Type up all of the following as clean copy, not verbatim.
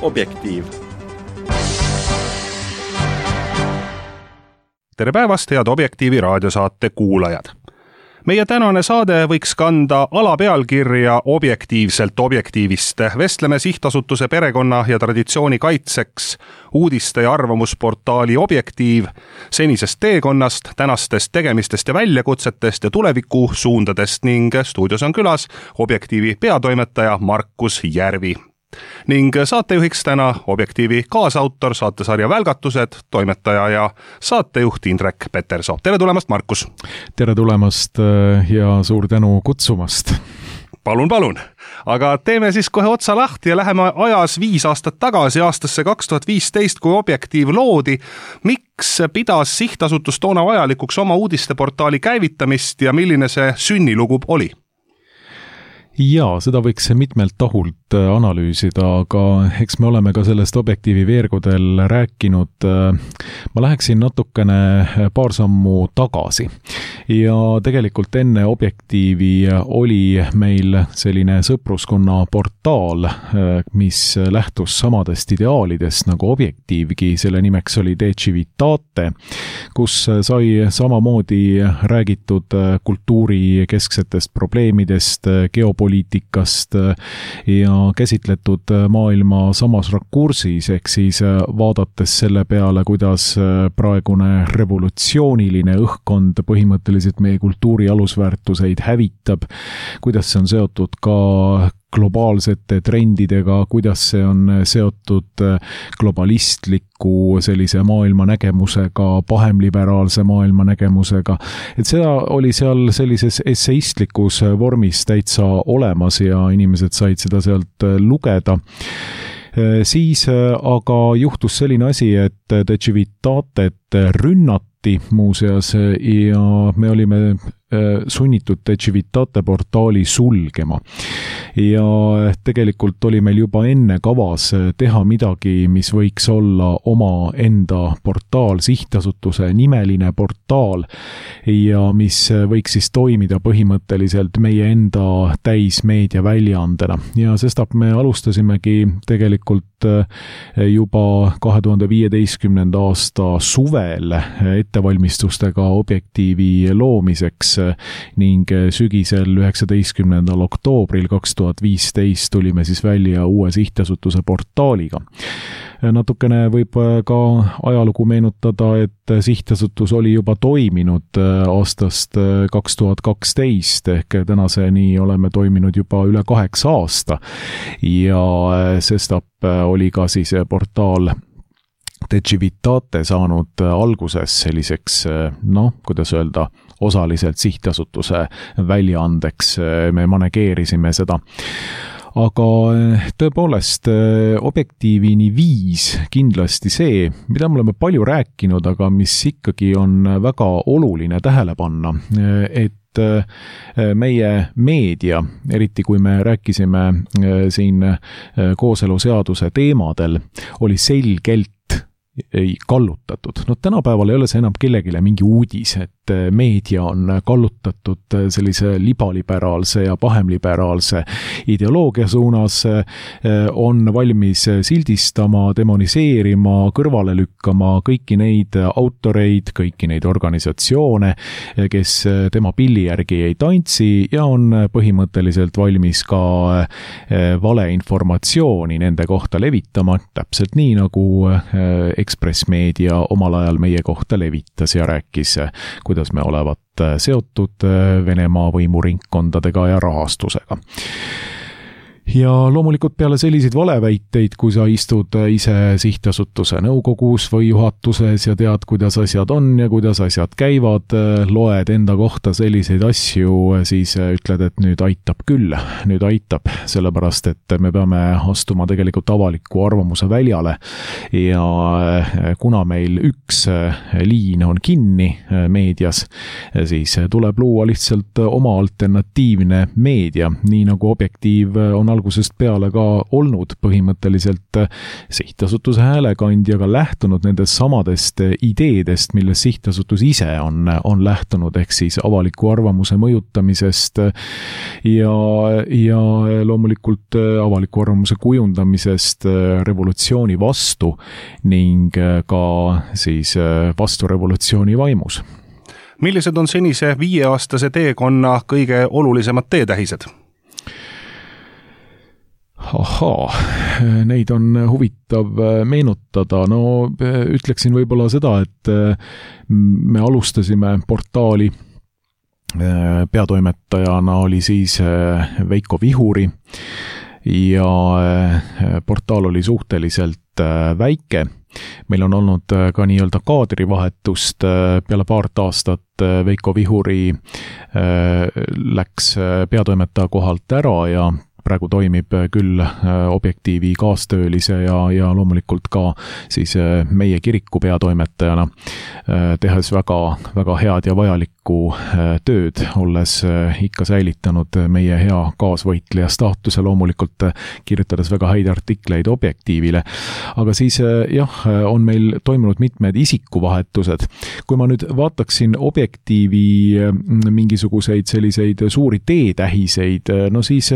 Objektiiv. Tere päevast, head Objektiivi raadiosaate kuulajad! Meie tänane saade võiks kanda alapealkirja Objektiivselt objektiivist. Vestleme sihtasutuse perekonna ja traditsiooni kaitseks uudiste ja arvamusportaali Objektiiv senisest teekonnast, tänastest tegemistest ja väljakutsetest ja tuleviku suundadest ning stuudios on külas Objektiivi peatoimetaja Markus Järvi. Ning saatejuhiks täna Objektiivi kaasautor, saatesarja Välgatused, toimetaja ja saatejuht Indrek Petersoo. Tere tulemast, Markus! Tere tulemast ja suur tänu kutsumast! Palun! Aga teeme siis kohe otsa lahti ja läheme ajas 5 aastat tagasi, aastasse 2015, kui Objektiiv loodi. Miks pidas sihtasutus toona vajalikuks oma uudisteportaali käivitamist ja milline see sünnilugu oli? Jaa, seda võiks mitmelt tahult analüüsida, aga eks me oleme ka sellest Objektiivi veergudel rääkinud. Ma läheksin natukene paar sammu tagasi. Ja tegelikult enne Objektiivi oli meil selline sõpruskonna portaal, mis lähtus samadest ideaalidest nagu Objektiivgi. Selle nimeks oli De Civitate, kus sai samamoodi räägitud kultuuri kesksetest probleemidest, geopoliitikast ja käsitletud maailma samas rakursis, ehk siis vaadates selle peale, kuidas praegune revolutsiooniline õhkkond põhimõtteliselt meie kultuuri alusväärtuseid hävitab, kuidas see on seotud ka globaalsete trendidega, kuidas see on seotud globalistliku sellise maailmanägemusega, pahemliberaalse maailmanägemusega. Et seda oli seal sellises esseistlikus vormis täitsa olemas ja inimesed said seda sealt lugeda. Siis aga juhtus selline asi, et De Civitatet rünnati muuseas ja me olime sunnitud De Civitate portaali sulgema. Ja tegelikult oli meil juba enne kavas teha midagi, mis võiks olla oma enda portaal, sihtasutuse nimeline portaal ja mis võiks siis toimida põhimõtteliselt meie enda täismeedia väljaandena. Ja sestap me alustasimegi tegelikult juba 2015. aasta suvel ettevalmistustega Objektiivi loomiseks ning sügisel 19. oktoobril 2015 tulime siis välja uue sihtasutuse portaaliga. Natukene võib ka ajalugu meenutada, et sihtasutus oli juba toiminud aastast 2012 ehk tänaseni oleme toiminud juba üle 8 aasta ja sestap oli ka siis portaal De Civitate saanud alguses selliseks, kuidas öelda, osaliselt sihtasutuse väljaandeks, me manegeerisime seda. Aga tõepoolest Objektiivini viis kindlasti see, mida me oleme palju rääkinud, aga mis ikkagi on väga oluline tähele panna, et meie meedia, eriti kui me rääkisime siin kooseluseaduse teemadel, oli selgelt kallutatud. Tänapäeval ei ole see enam kellegile mingi uudis, et meedia on kallutatud sellise libaliberaalse ja pahemliberaalse ideoloogia suunas, on valmis sildistama, demoniseerima, kõrvale lükkama kõiki neid autoreid, kõiki neid organisatsioone, kes tema pilli järgi ei tantsi ja on põhimõtteliselt valmis ka valeinformatsiooni nende kohta levitama, täpselt nii nagu Ekspress Meedia omal ajal meie kohta levitas ja rääkis, kuidas me olevat seotud Venemaa võimuringkondadega ja rahastusega. Ja loomulikult peale selliseid valeväiteid, kui sa istud ise sihtasutuse nõukogus või juhatuses ja tead, kuidas asjad on ja kuidas asjad käivad, loed enda kohta selliseid asju, siis ütled, et nüüd aitab küll, nüüd aitab, sellepärast et me peame astuma tegelikult avaliku arvamuse väljale ja kuna meil üks liin on kinni meedias, siis tuleb luua lihtsalt oma alternatiivne meedia, nii nagu Objektiiv on algusest peale ka olnud põhimõtteliselt sihtasutuse häälekandjaga lähtunud nendest samadest ideedest, millest sihtasutus ise on lähtunud, ehk siis avaliku arvamuse mõjutamisest ja loomulikult avaliku arvamuse kujundamisest revolutsiooni vastu ning ka siis vastu revolutsiooni vaimus. Millised on senise 5-aastase teekonna kõige olulisemad teetähised? Neid on huvitav meenutada. No ütleksin võib-olla seda, et me alustasime portaali. Peatoimetajana oli siis Veiko Vihuri ja portaal oli suhteliselt väike. Meil on olnud ka nii-öelda kaadrivahetust peale paart aastat. Veiko Vihuri läks peatoimetaja kohalt ära ja praegu toimib küll Objektiivi kaastöölise ja loomulikult ka siis meie kiriku peatoimetajana, tehes väga, väga head ja vajalikku tööd, olles ikka säilitanud meie hea kaasvõitleja staatuse, loomulikult kirjutades väga häid artikleid Objektiivile. Aga siis on meil toimunud mitmed isikuvahetused. Kui ma nüüd vaataksin Objektiivi mingisuguseid selliseid suuri teetähiseid, no siis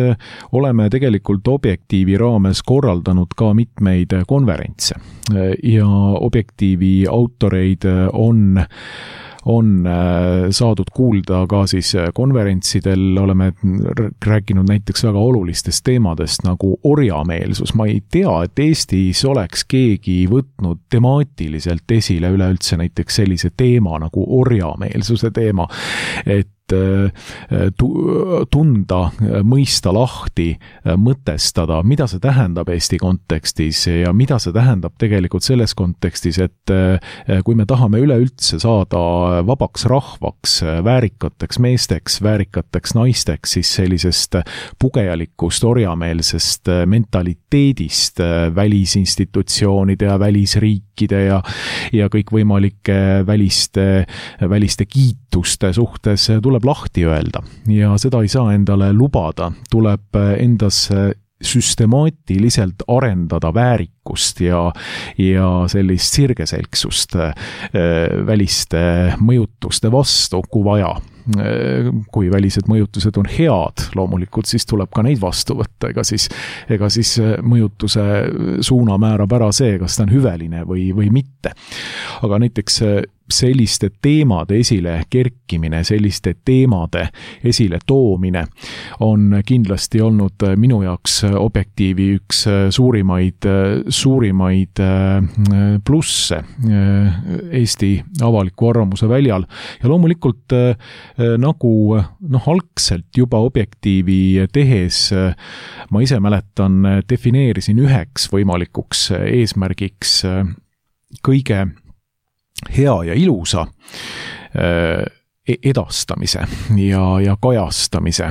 oleme tegelikult Objektiivi raames korraldanud ka mitmeid konverentse ja Objektiivi autoreid on saadud kuulda ka siis konverentsidel, oleme rääkinud näiteks väga olulistest teemadest nagu orjameelsus. Ma ei tea, et Eestis oleks keegi võtnud temaatiliselt esile üleüldse näiteks sellise teema nagu orjameelsuse teema, et tunda, mõista lahti, mõtestada, mida see tähendab Eesti kontekstis ja mida see tähendab tegelikult selles kontekstis, et kui me tahame üleüldse saada vabaks rahvaks, väärikateks meesteks, väärikateks naisteks, siis sellisest pugejalikust orjameelsest mentaliteedist välisinstitutsioonide ja välisriikide ja kõikvõimalike väliste kiituste suhtes tuleb lahti öelda ja seda ei saa endale lubada, tuleb endas süstemaatiliselt arendada väärikust ja sellist sirgeselgsust väliste mõjutuste vastu, kui vaja. Kui välised mõjutused on head, loomulikult siis tuleb ka neid vastu võtta, ega siis mõjutuse suuna määrab ära see, kas ta on hüveline või mitte. Aga näiteks selliste teemade esile kerkimine, selliste teemade esile toomine on kindlasti olnud minu jaoks Objektiivi üks suurimaid plusse Eesti avaliku arvamuse väljal ja loomulikult nagu algselt juba Objektiivi tehes ma ise mäletan, defineerisin üheks võimalikuks eesmärgiks kõige hea ja ilusa edastamise ja kajastamise,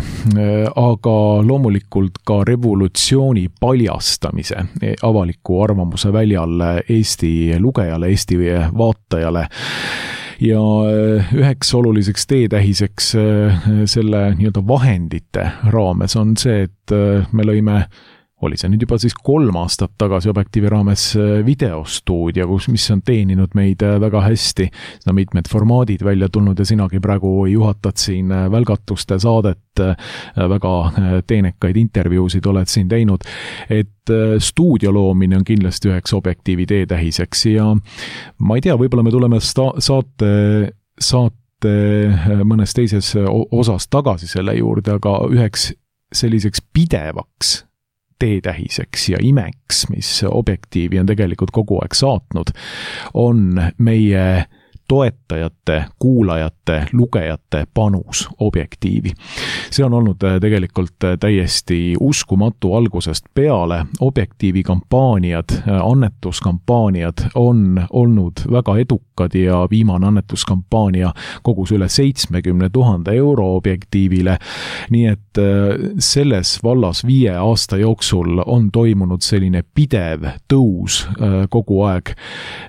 aga loomulikult ka revolutsiooni paljastamise avaliku arvamuse väljal Eesti lugejale, Eesti vaatajale. Ja üheks oluliseks teetähiseks selle nii-öelda vahendite raames on see, et me lõime oli see nüüd juba siis 3 aastat tagasi Objektiivi raames videostuudio, mis on teeninud meid väga hästi. Seda mitmed formaadid välja tulnud ja sinagi praegu juhatad siin välgatuste saadet, väga teenekaid intervjuusid oled siin teinud, et stuudio loomine on kindlasti üheks Objektiivi teetähiseks ja ma ei tea, võib-olla me tuleme saate mõnes teises osas tagasi selle juurde, aga üheks selliseks pidevaks teetähiseks ja imeks, mis Objektiivi on tegelikult kogu aeg saatnud, on meie toetajate, kuulajate, lugejate panus Objektiivi. See on olnud tegelikult täiesti uskumatu algusest peale. Objektiivi kampaaniad, annetuskampaaniad on olnud väga edukad ja viimane annetuskampaania kogus üle 70 000 euro Objektiivile. Nii et selles vallas 5 aasta jooksul on toimunud selline pidev tõus kogu aeg.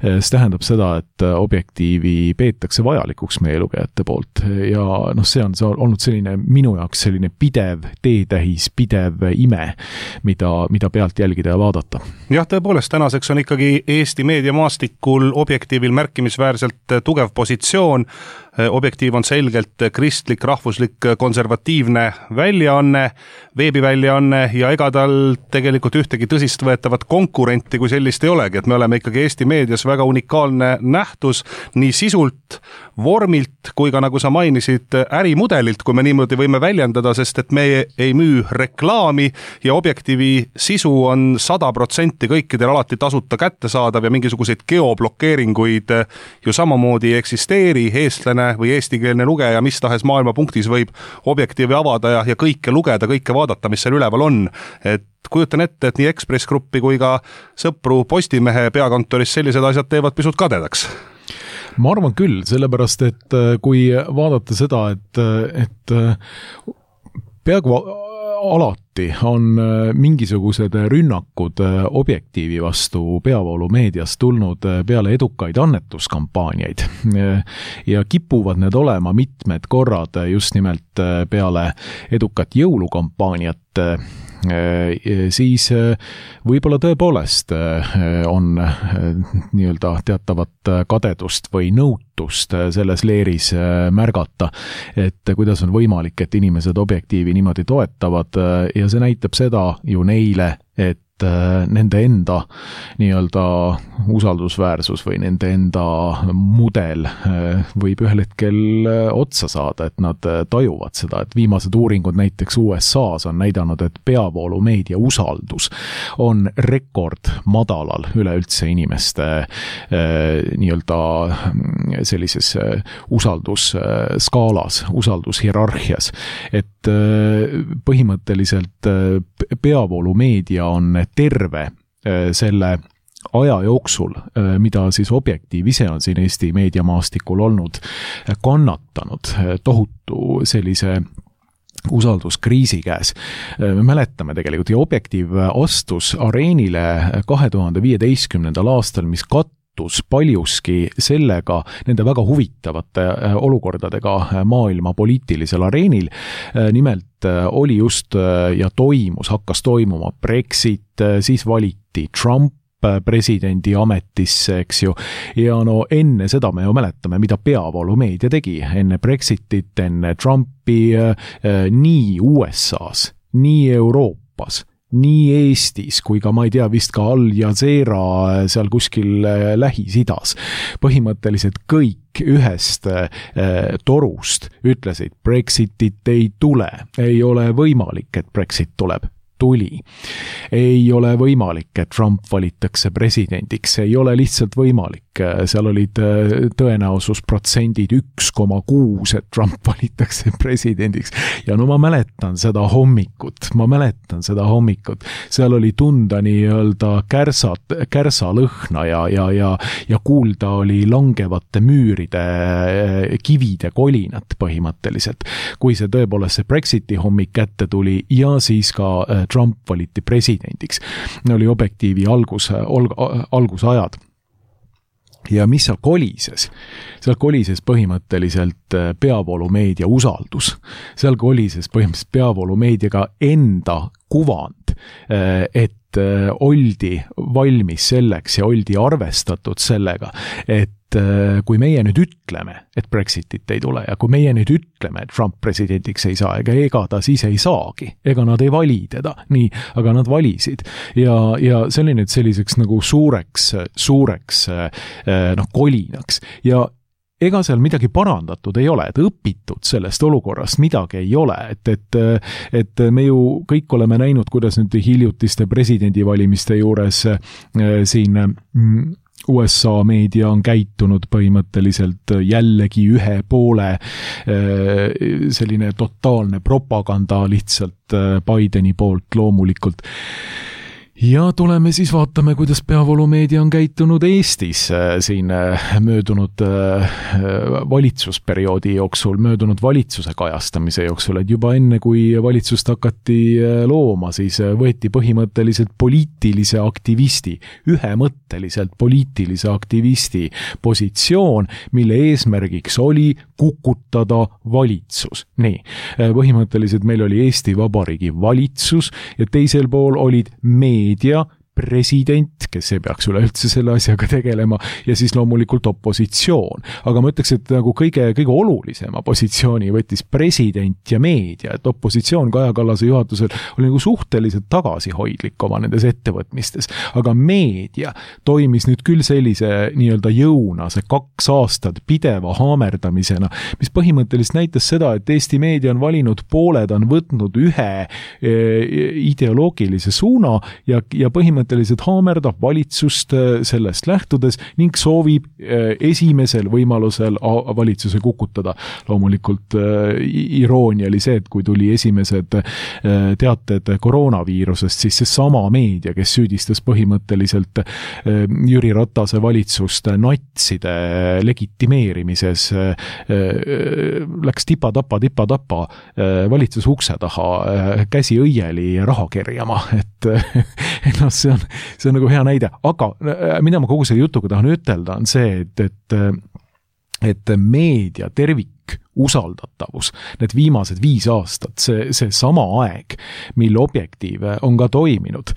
See tähendab seda, et Objektiivi objektiivi peetakse vajalikuks meie lugejate poolt ja see on olnud selline minu jaoks selline pidev teetähis, pidev ime, mida pealt jälgida ja vaadata. Jah, tõepoolest, tänaseks on ikkagi Eesti meediamaastikul objektiivil märkimisväärselt tugev positsioon. Objektiiv on selgelt kristlik, rahvuslik, konservatiivne väljaanne, veebiväljaanne ja ega tal tegelikult ühtegi tõsist võetavat konkurenti kui sellist ei olegi, et me oleme ikkagi Eesti meedias väga unikaalne nähtus nii sisult, vormilt kui ka nagu sa mainisid ärimudelilt, kui me niimoodi võime väljendada, sest et me ei müü reklaami ja objektiivi sisu on 100% kõikidel alati tasuta kättesaadav ja mingisuguseid geoblokeeringuid ju samamoodi ei eksisteeri. Eestlane või eestikeelne lugeja mis tahes maailmapunktis võib objektiivi avada ja kõike lugeda, kõike vaadata, mis seal üleval on. Et kujutan ette, et nii Ekspress Gruppi kui ka sõpru Postimehe peakontoris sellised asjad teevad pisut kadedaks. Ma arvan küll, sellepärast, et kui vaadata seda, et peaaegu alati on mingisugused rünnakud objektiivi vastu peavoolumeedias tulnud peale edukaid annetuskampaaniaid ja kipuvad need olema mitmed korrad just nimelt peale edukat jõulukampaaniat, siis võib-olla tõepoolest on nii-öelda teatavat kadedust või nõutust selles leeris märgata, et kuidas on võimalik, et inimesed objektiivi niimoodi toetavad ja see näitab seda ju neile, et nende enda nii-öelda usaldusväärsus või nende enda mudel võib ühel hetkel otsa saada, et nad tajuvad seda, et viimased uuringud näiteks USA's on näidanud, et peavoolumeedia usaldus on rekord madalal üleüldse inimeste nii-öelda sellises usaldusskaalas, usaldushierarhias, et põhimõtteliselt peavoolumeedia on terve selle aja jooksul, mida siis objektiiv ise on siin Eesti meediamaastikul olnud kannatanud tohutu sellise usalduskriisi käes. Me mäletame tegelikult ja objektiiv astus areenile 2015. aastal, mis paljuski sellega, nende väga huvitavate olukordadega maailma poliitilisel areenil. Nimelt oli just ja hakkas toimuma Brexit, siis valiti Trump presidendi ametisse, eks ju. Ja enne seda me ju mäletame, mida peavoolumeedia tegi. Enne Brexitit, enne Trumpi, nii USA's, nii Euroopas, nii Eestis kui ka, ma ei tea, vist ka Al Jazeera seal kuskil Lähis-Idas. Põhimõtteliselt kõik ühest torust ütlesid, Brexitit ei tule, ei ole võimalik, et Brexit tuleb. Tuli. Ei ole võimalik, et Trump valitakse presidendiks, ei ole lihtsalt võimalik. Seal olid tõenäosusprotsendid 1,6, et Trump valitakse presidendiks. Ja ma mäletan seda hommikut. Seal oli tunda nii-öelda kärsalõhna ja kuulda oli langevate müüride kivide kolinat põhimõtteliselt. Kui see tõepoolest see Brexiti hommik kätte tuli ja siis ka Trump valiti presidendiks. Oli objektiivi algusajad. Ja mis seal kolises? Seal kolises põhimõtteliselt peavoolumeedia usaldus. Seal kolises põhimõtteliselt peavoolumeediaga enda kuvand, et oldi valmis selleks ja oldi arvestatud sellega, et kui meie nüüd ütleme, et Brexitit ei tule ja kui meie nüüd ütleme, et Trump presidendiks ei saa, ega ta siis ei saagi, ega nad ei vali teda, nii, aga nad valisid ja see oli nüüd selliseks nagu suureks kolinaks ja ega seal midagi parandatud ei ole, et õpitud sellest olukorrast midagi ei ole, et me ju kõik oleme näinud, kuidas nüüd hiljutiste presidendivalimiste juures siin USA meedia on käitunud põhimõtteliselt jällegi ühe poole selline totaalne propaganda lihtsalt Bideni poolt loomulikult. Ja tuleme siis vaatame, kuidas peavoolumeedia on käitunud Eestis siin möödunud valitsusperioodi jooksul, möödunud valitsuse kajastamise jooksul, et juba enne, kui valitsust hakati looma, siis võeti põhimõtteliselt poliitilise aktivisti, ühemõtteliselt poliitilise aktivisti positsioon, mille eesmärgiks oli kukutada valitsus. Nii, põhimõtteliselt meil oli Eesti Vabariigi valitsus ja teisel pool olid meedia, president, kes ei peaks üleüldse selle asjaga tegelema, ja siis loomulikult opositsioon. Aga ma ütleks, et nagu kõige olulisema positsiooni võttis president ja meedia, et opositsioon Kaja Kallase juhatusel oli nagu suhteliselt tagasihoidlik oma nendes ettevõtmistes. Aga meedia toimis nüüd küll sellise nii-öelda jõuna, see 2 aastat pideva haamerdamisena, mis põhimõtteliselt näitas seda, et Eesti meedia on valinud pooled, on võtnud ühe ideoloogilise suuna ja põhimõtteliselt haamerdab valitsust sellest lähtudes ning soovib esimesel võimalusel valitsuse kukutada. Loomulikult iroonia oli see, et kui tuli esimesed teated koroonaviirusest, siis see sama meedia, kes süüdistas põhimõtteliselt Jüri Ratase valitsust natside legitimeerimises, läks tipa-tapa valitsuse ukse taha, käsi õieli raha kerjama, et see on nagu hea näide, aga mida ma kogu selle jutuga tahan ütelda on see, et meedia tervik usaldatavus, need viimased 5 aastat, see sama aeg, mil Objektiiv on ka toiminud,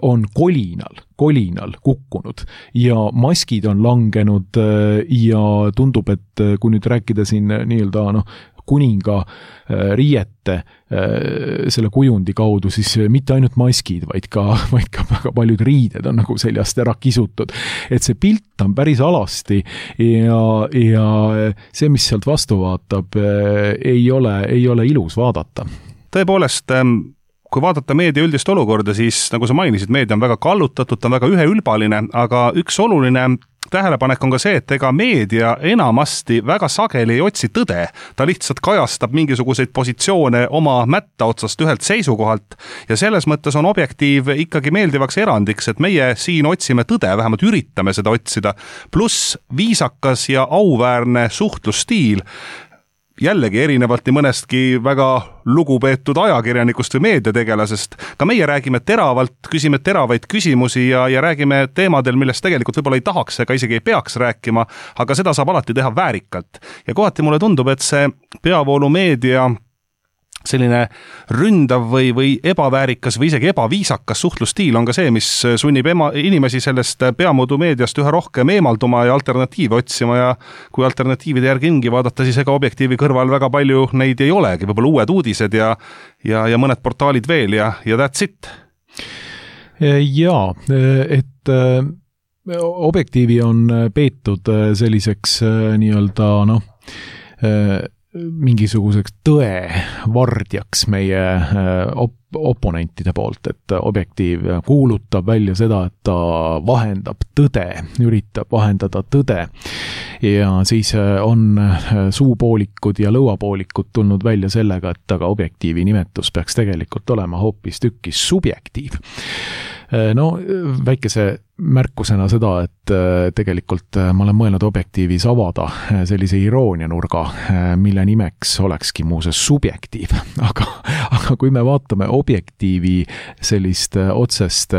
on kolinal kukkunud ja maskid on langenud ja tundub, et kui nüüd rääkida siin nii-öelda kuninga riiete selle kujundi kaudu, siis mitte ainult maskid, vaid ka väga paljud riided on nagu seljast ära kisutud. Et see pilt on päris alasti ja see, mis sealt vastu vaatab, ei ole ilus vaadata. Tõepoolest, kui vaadata meedia üldist olukorda, siis nagu sa mainisid, meedia on väga kallutatud, ta on väga üheülbaline, aga üks oluline tähelepanek on ka see, et ega meedia enamasti väga sageli ei otsi tõde. Ta lihtsalt kajastab mingisuguseid positsioone oma mätta otsast ühelt seisukohalt ja selles mõttes on Objektiiv ikkagi meeldivaks erandiks, et meie siin otsime tõde, vähemalt üritame seda otsida. Pluss viisakas ja auväärne suhtlusstiil, jällegi erinevalt nii mõnestki väga lugupeetud ajakirjanikust või meediategelasest. Ka meie räägime teravalt, küsime teravaid küsimusi ja räägime teemadel, millest tegelikult võib-olla ei tahaks ega isegi ei peaks rääkima, aga seda saab alati teha väärikalt. Ja kohati mulle tundub, et see peavoolumeedia selline ründav või ebaväärikas või isegi ebaviisakas suhtlusstiil on ka see, mis sunnib inimesi sellest peamodumeediast üha rohkem eemalduma ja alternatiive otsima ja kui alternatiivide järgi ringi vaadata, siis ega Objektiivi kõrval väga palju neid ei olegi, võib-olla uued uudised ja mõned portaalid veel ja that's it. Jaa, et Objektiivi on peetud selliseks nii-öelda mingisuguseks tõe vardjaks meie oponentide poolt, et Objektiiv kuulutab välja seda, et ta vahendab tõde, üritab vahendada tõde ja siis on suupoolikud ja lõuapoolikud tulnud välja sellega, et aga Objektiivi nimetus peaks tegelikult olema hoopis tükkis subjektiiv. No, väikese märkusena seda, et tegelikult ma olen mõelnud Objektiivis avada sellise iroonianurga, mille nimeks olekski muuseas subjektiiv. Aga kui me vaatame Objektiivi sellist otsest,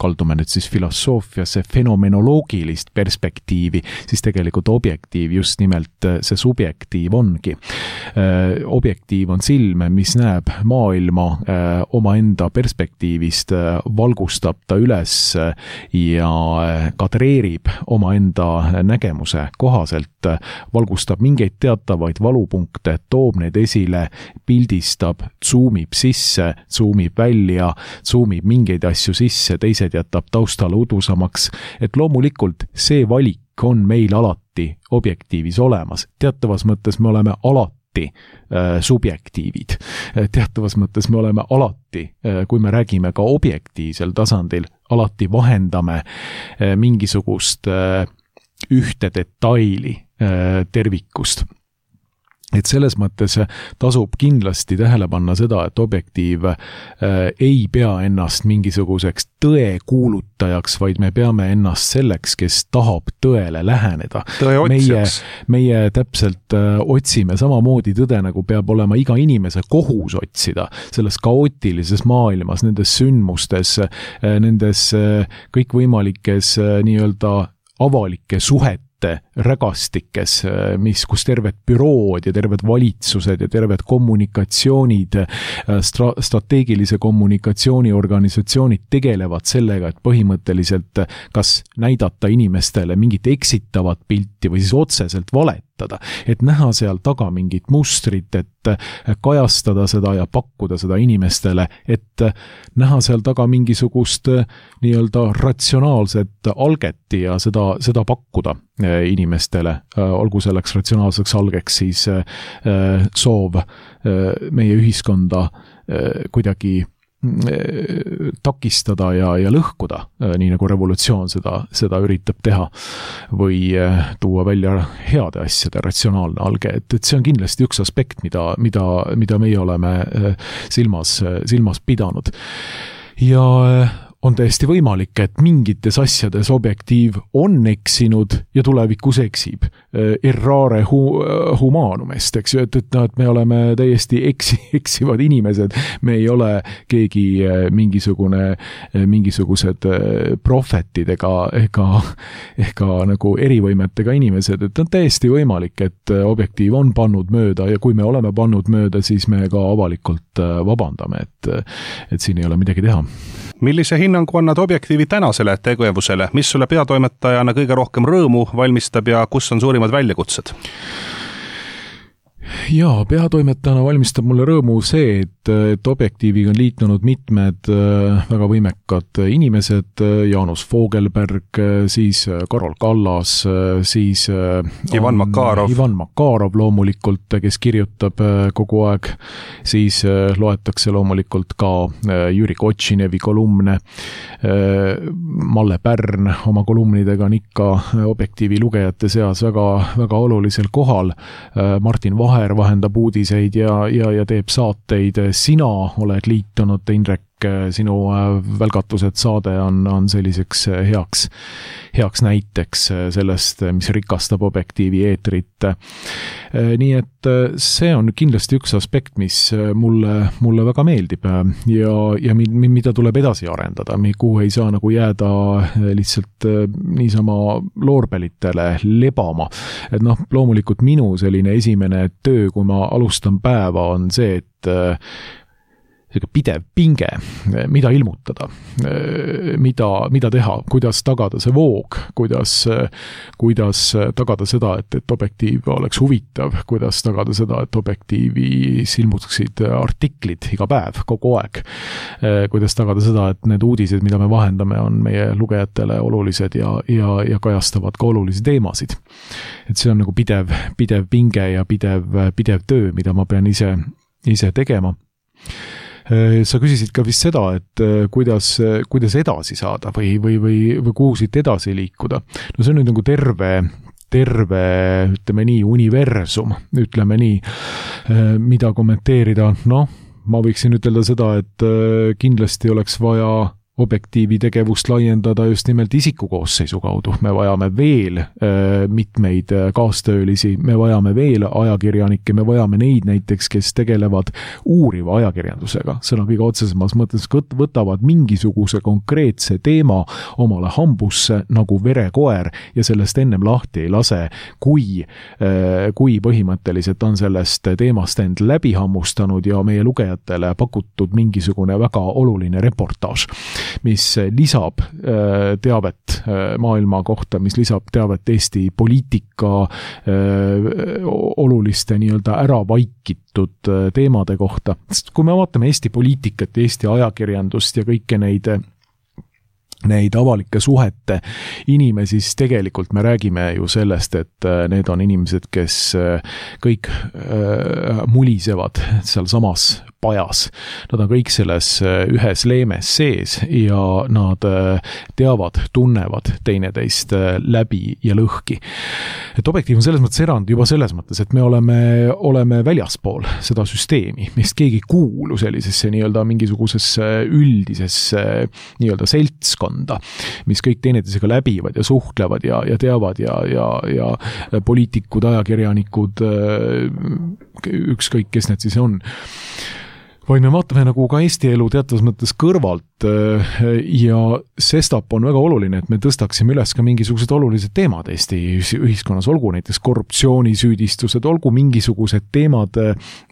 kaldume nüüd siis filosoofiasse, fenomenoloogilist perspektiivi, siis tegelikult Objektiiv just nimelt see subjektiiv ongi. Objektiiv on silm, mis näeb maailma omaenda perspektiivist, valgustab ta üles ja kadreerib omaenda nägemuse kohaselt, valgustab mingeid teatavaid valupunkte, toob need esile, pildistab, zoomib sisse, zoomib välja, zoomib mingeid asju sisse, teised jätab taustale udusamaks, et loomulikult see valik on meil alati Objektiivis olemas. Teatavas mõttes me oleme alati subjektiivid. Teatavas mõttes me oleme alati, kui me räägime ka objektiivsel tasandil, alati vahendame mingisugust ühte detaili tervikust. et selles mõttes tasub kindlasti tähele panna seda, et Objektiiv ei pea ennast mingisuguseks tõe kuulutajaks, vaid me peame ennast selleks, kes tahab tõele läheneda. Meie täpselt otsime samamoodi tõde, nagu peab olema iga inimese kohus otsida selles kaootilises maailmas, nendes sündmustes, nendes kõikvõimalikes nii-öelda avalike suhete rägastikes, kus terved bürood ja terved valitsused ja terved kommunikatsioonid, strateegilise kommunikatsiooni organisatsioonid tegelevad sellega, et põhimõtteliselt kas näidata inimestele mingit eksitavat pilti või siis otseselt valetada, et näha seal taga mingit mustrit, et kajastada seda ja pakkuda seda inimestele, et näha seal taga mingisugust nii-öelda ratsionaalset alget ja seda pakkuda inimestele, olgu selleks ratsionaalseks algeks siis soov meie ühiskonda kuidagi takistada ja lõhkuda, nii nagu revolutsioon seda üritab teha, või tuua välja heade asjade ratsionaalne alge, et see on kindlasti üks aspekt, mida meie oleme silmas pidanud. Ja on täiesti võimalik, et mingites asjades Objektiiv on eksinud ja tulevikus eksib. Errare humanumest, eks ju, et me oleme täiesti eksivad inimesed, me ei ole keegi mingisugused prohvetid ega nagu erivõimetega inimesed, et on täiesti võimalik, et Objektiiv on pannud mööda ja kui me oleme pannud mööda, siis me ka avalikult vabandame, et siin ei ole midagi teha. Millise hinnangu annad Objektiivi tänasele tegevusele, mis sulle peatoimetajana kõige rohkem rõõmu valmistab ja kus on suurimad väljakutsed? Jaa, peatoimetajana valmistab mulle rõõmu see, et Objektiiviga on liitunud mitmed väga võimekad inimesed, Jaanus Fogelberg, siis Karol Kallas, siis Ivan Makarov loomulikult, kes kirjutab kogu aeg, siis loetakse loomulikult ka Jüri Kotšinevi kolumne, Malle Pärn oma kolumnidega on ikka Objektiivi lugejate seas väga, väga olulisel kohal, Martin Vaher vahendab uudiseid ja teeb saateid. Sina oled liitunud, Indrek, sinu välgatused saade on selliseks heaks näiteks sellest, mis rikastab Objektiivi eetrit. Nii et see on kindlasti üks aspekt, mis mulle väga meeldib ja mida tuleb edasi arendada, kuhu ei saa nagu jääda lihtsalt niisama loorbelitele lebama. Et loomulikult minu selline esimene töö, kui ma alustan päeva, on see, et pidev pinge, mida ilmutada, mida teha, kuidas tagada see voog, kuidas tagada seda, et Objektiiv oleks huvitav, kuidas tagada seda, et Objektiivis ilmutaksid artiklid iga päev, kogu aeg, kuidas tagada seda, et need uudised, mida me vahendame, on meie lugejatele olulised ja kajastavad ka olulisi teemasid. Et see on nagu pidev pinge ja pidev töö, mida ma pean ise tegema. Sa küsisid ka vist seda, et kuidas edasi saada või kuhu siit edasi liikuda. No see on nüüd nagu terve, ütleme nii, universum, ütleme nii, mida kommenteerida. Ma võiksin ütelda seda, et kindlasti oleks vaja Objektiivi tegevust laiendada just nimelt isikukoosseisu kaudu. Me vajame veel mitmeid kaastöölisi, me vajame veel ajakirjanikke, me vajame neid näiteks, kes tegelevad uuriva ajakirjandusega. Sõna kõige otsesemas mõttes võtavad mingisuguse konkreetse teema omale hambusse nagu verekoer ja sellest ennem lahti ei lase, kui põhimõtteliselt on sellest teemast end läbi hammustanud ja meie lugejatele pakutud mingisugune väga oluline reportaaž, mis lisab teavet maailma kohta, mis lisab teavet Eesti poliitika oluliste nii-öelda ära vaikitud teemade kohta. Sest kui me vaatame Eesti poliitikat, Eesti ajakirjandust ja kõike neid avalike suhete inimesi, siis tegelikult me räägime ju sellest, et need on inimesed, kes kõik mulisevad seal samas pajas. Nad on kõik selles ühes leemes sees ja nad teavad, tunnevad teineteist läbi ja lõhki. Et Objektiiv on selles mõttes erand juba selles mõttes, et me oleme väljaspool seda süsteemi, mist keegi ei kuulu sellisesse nii-öelda mingisugusesse üldisesse nii-öelda seltskonda, mis kõik teineteisega läbivad ja suhtlevad ja teavad ja poliitikud, ajakirjanikud, ükskõik, kes need siis on. Vaid me vaatame nagu ka Eesti elu teatavas mõttes kõrvalt ja sestap on väga oluline, et me tõstaksime üles ka mingisugused olulised teemad Eesti ühiskonnas, olgu näiteks korruptsioonisüüdistused, olgu mingisugused teemad,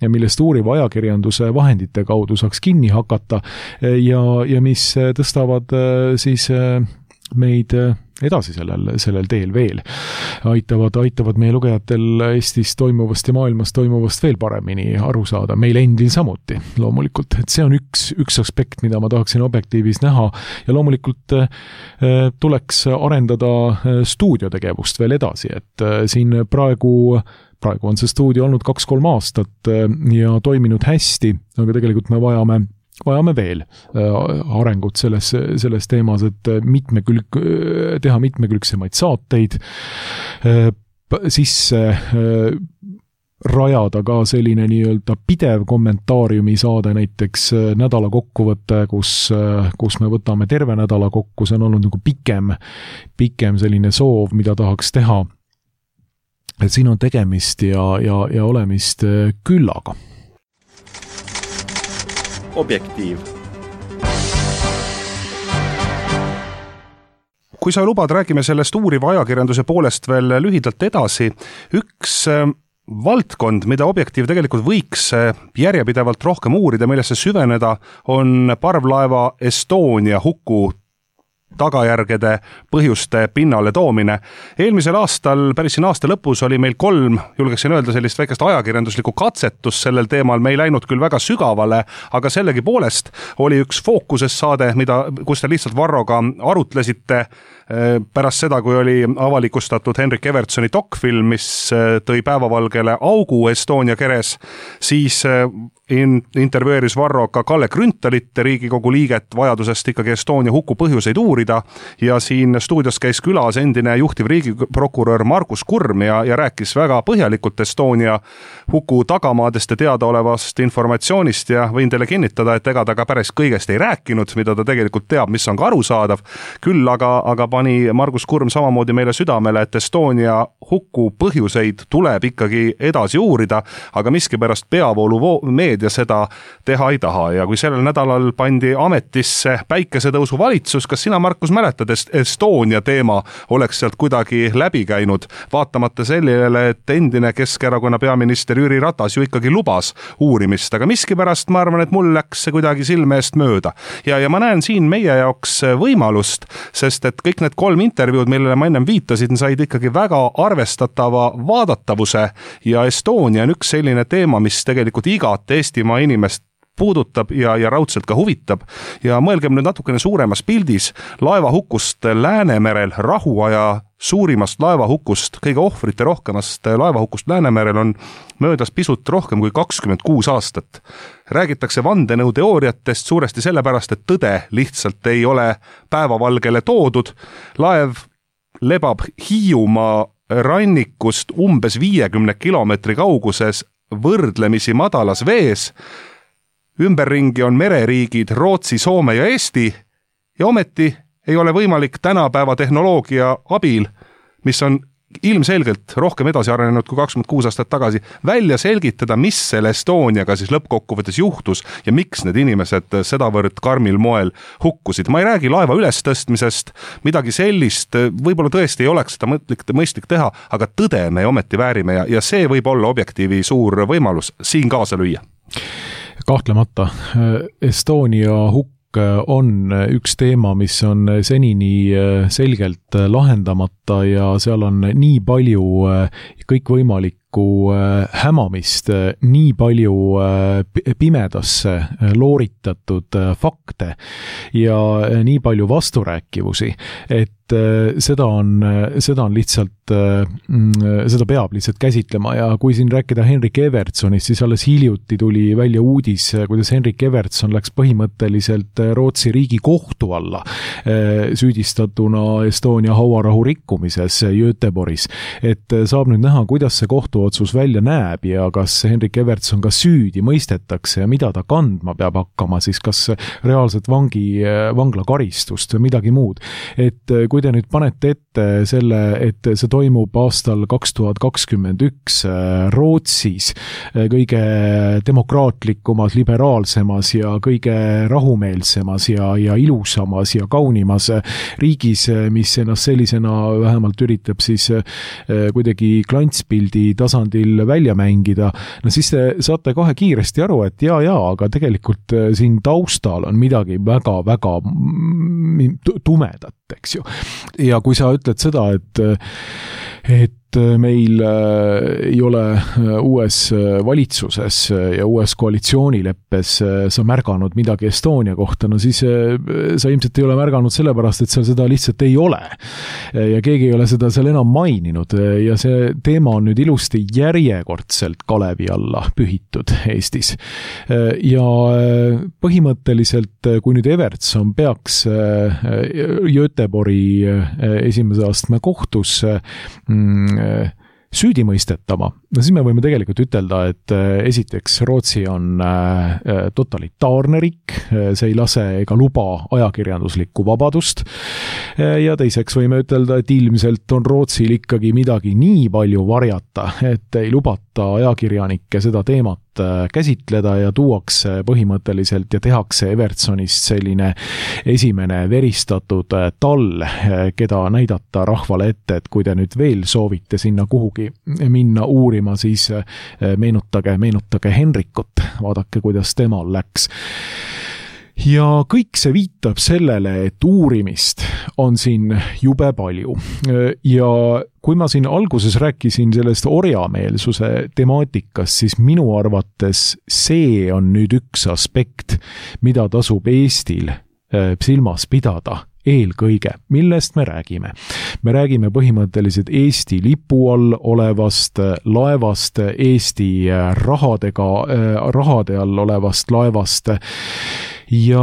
millest uuriva ajakirjanduse vahendite kaudu saaks kinni hakata ja mis tõstavad siis meid edasi sellel teel veel. Aitavad meie lugejatel Eestis toimuvast ja maailmas toimuvast veel paremini aru saada. Meil endil samuti, loomulikult. Et see on üks aspekt, mida ma tahaksin Objektiivis näha ja loomulikult tuleks arendada stuudiotegevust veel edasi, et siin praegu on see stuudio olnud 2-3 aastat ja toiminud hästi, aga tegelikult me vajame veel arengut selles teemas, et teha mitmekülgsemaid saateid, sisse rajada ka selline nii-öelda pidev kommentaariumi saade, näiteks nädala kokkuvõte, kus me võtame terve nädala kokku, see on olnud nagu pikem selline soov, mida tahaks teha. Et siin on tegemist ja olemist küllaga. Objektiiv. Kui sa lubad, räägime sellest uuriva ajakirjanduse poolest veel lühidalt edasi. Üks valdkond, mida Objektiiv tegelikult võiks järjepidevalt rohkem uurida, millesse süveneda, on parvlaeva Estonia huku tagajärgede põhjuste pinnale toomine. Eelmisel aastal, päris siin aasta lõpus, oli meil 3, julgeksin öelda, sellist väikest ajakirjanduslikku katsetus sellel teemal. Me ei läinud küll väga sügavale, aga sellegi poolest oli üks fookuses saade, kus te lihtsalt Varroga arutlesite pärast seda, kui oli avalikustatud Henrik Evertsoni dokfilm, mis tõi päevavalgele augu Estonia keres, siis intervjueeris Varro ka Kalle Grüntalit, Riigikogu liiget, vajadusest ikkagi Estonia huku põhjuseid uurida ja siin stuudios käis külas endine juhtiv riigiprokurör Margus Kurm ja rääkis väga põhjalikult Estonia huku tagamaadest ja teadaolevast informatsioonist ja võin teile kinnitada, et ega ta ka päris kõigest ei rääkinud, mida ta tegelikult teab, mis on ka arusaadav. Küll aga pani Margus Kurm samamoodi meile südamele, et Estonia huku põhjuseid tuleb ikkagi edasi uurida, aga miskipärast peavoolu meedia seda teha ei taha ja kui sellel nädalal pandi ametisse päikesetõusu valitsus, kas sina, Markus, mäletad, Estonia teema oleks sealt kuidagi läbi käinud, vaatamata sellele, et endine Keskerakonna peaminister Jüri Ratas ju ikkagi lubas uurimist, aga miskipärast ma arvan, et mul läks see kuidagi silme eest mööda. Ja ma näen siin meie jaoks võimalust, sest et kõik need 3 intervjuud, millele ma ennem viitasin, said ikkagi väga arvestatava vaadatavuse ja Estonia on üks selline teema, mis tegelikult igat Eestimaa inimest puudutab ja raudselt ka huvitab ja mõelgem nüüd natukene suuremas pildis laevahukust Läänemerel, rahuaja suurimast laevahukust, kõige ohvrite rohkemast laevahukust Läänemerel on möödas pisut rohkem kui 26 aastat. Räägitakse vandenõuteooriatest suuresti sellepärast, et tõde lihtsalt ei ole päevavalgele toodud. Laev lebab Hiiumaa rannikust umbes 50 kilomeetri kauguses võrdlemisi madalas vees. Ümberringi on mereriigid Rootsi, Soome ja Eesti ja ometi ei ole võimalik tänapäeva tehnoloogia abil, mis on ilmselgelt rohkem edasi arenenud kui 26 aastat tagasi, välja selgitada, mis selle Estoniaga siis lõppkokkuvõttes juhtus ja miks need inimesed sedavõrd karmil moel hukkusid. Ma ei räägi laeva ülestõstmisest, midagi sellist, võib-olla tõesti ei oleks seda mõistlik teha, aga tõde me ometi väärime ja see võib olla Objektiivi suur võimalus siin kaasa lüüa. Kahtlemata. Estonia hukk on üks teema, mis on senini selgelt lahendamata ja seal on nii palju kõikvõimalikke hämamist, nii palju pimedasse looritatud fakte ja nii palju vasturääkivusi, et seda on lihtsalt, seda peab lihtsalt käsitlema ja kui siin rääkida Henrik Evertssonist, siis alles hiljuti tuli välja uudis, kuidas Henrik Evertsson läks põhimõtteliselt Rootsi Riigikohtu alla süüdistatuna Estonia hauarahu rikkumises Göteborgis. Et saab nüüd näha, kuidas see kohtuotsus välja näeb ja kas Henrik Evertsson ka süüdi mõistetakse ja mida ta kandma peab hakkama, siis kas reaalselt vanglakaristust või midagi muud. Et kui te nüüd panete ette selle, et see toimub aastal 2021 Rootsis, kõige demokraatlikumas, liberaalsemas ja kõige rahumeelsemas ja ilusamas ja kaunimas riigis, mis ennast sellisena vähemalt üritab siis kuidagi klantspildi tasandil välja mängida, no siis te saate kohe kiiresti aru, et jaa, aga tegelikult siin taustal on midagi väga-väga tumedat, eks ju. Ja kui sa ütled seda, et meil ei ole uues valitsuses ja uues koalitsioonileppes sa märganud midagi Estonia kohta, no siis sa ilmselt ei ole märganud sellepärast, et seal seda lihtsalt ei ole. Ja keegi ei ole seda seal enam maininud ja see teema on nüüd ilusti järjekordselt kalevi alla pühitud Eestis. Ja põhimõtteliselt, kui nüüd Evertsson peaks Göteborgi esimese astme kohtusse süüdi mõistetama, no siis me võime tegelikult ütelda, et esiteks Rootsi on totalitaarne riik, see ei lase ega luba ajakirjanduslikku vabadust ja teiseks võime ütelda, et ilmselt on Rootsil ikkagi midagi nii palju varjata, et ei lubata ajakirjanikke seda teemat käsitleda ja tuuakse põhimõtteliselt ja tehakse Evertssonist selline esimene veristatud tall, keda näidata rahvale ette, et kui te nüüd veel soovite sinna kuhugi minna uurima, siis meenutage Henrikut, vaadake, kuidas temal läks. Ja kõik see viitab sellele, et uurimist on siin jube palju. Ja kui ma siin alguses rääkisin sellest orjameelsuse temaatikast, siis minu arvates see on nüüd üks aspekt, mida tasub Eestil silmas pidada eelkõige. Millest me räägime? Me räägime põhimõtteliselt Eesti lipu all olevast laevast, Eesti rahade all olevast laevast ja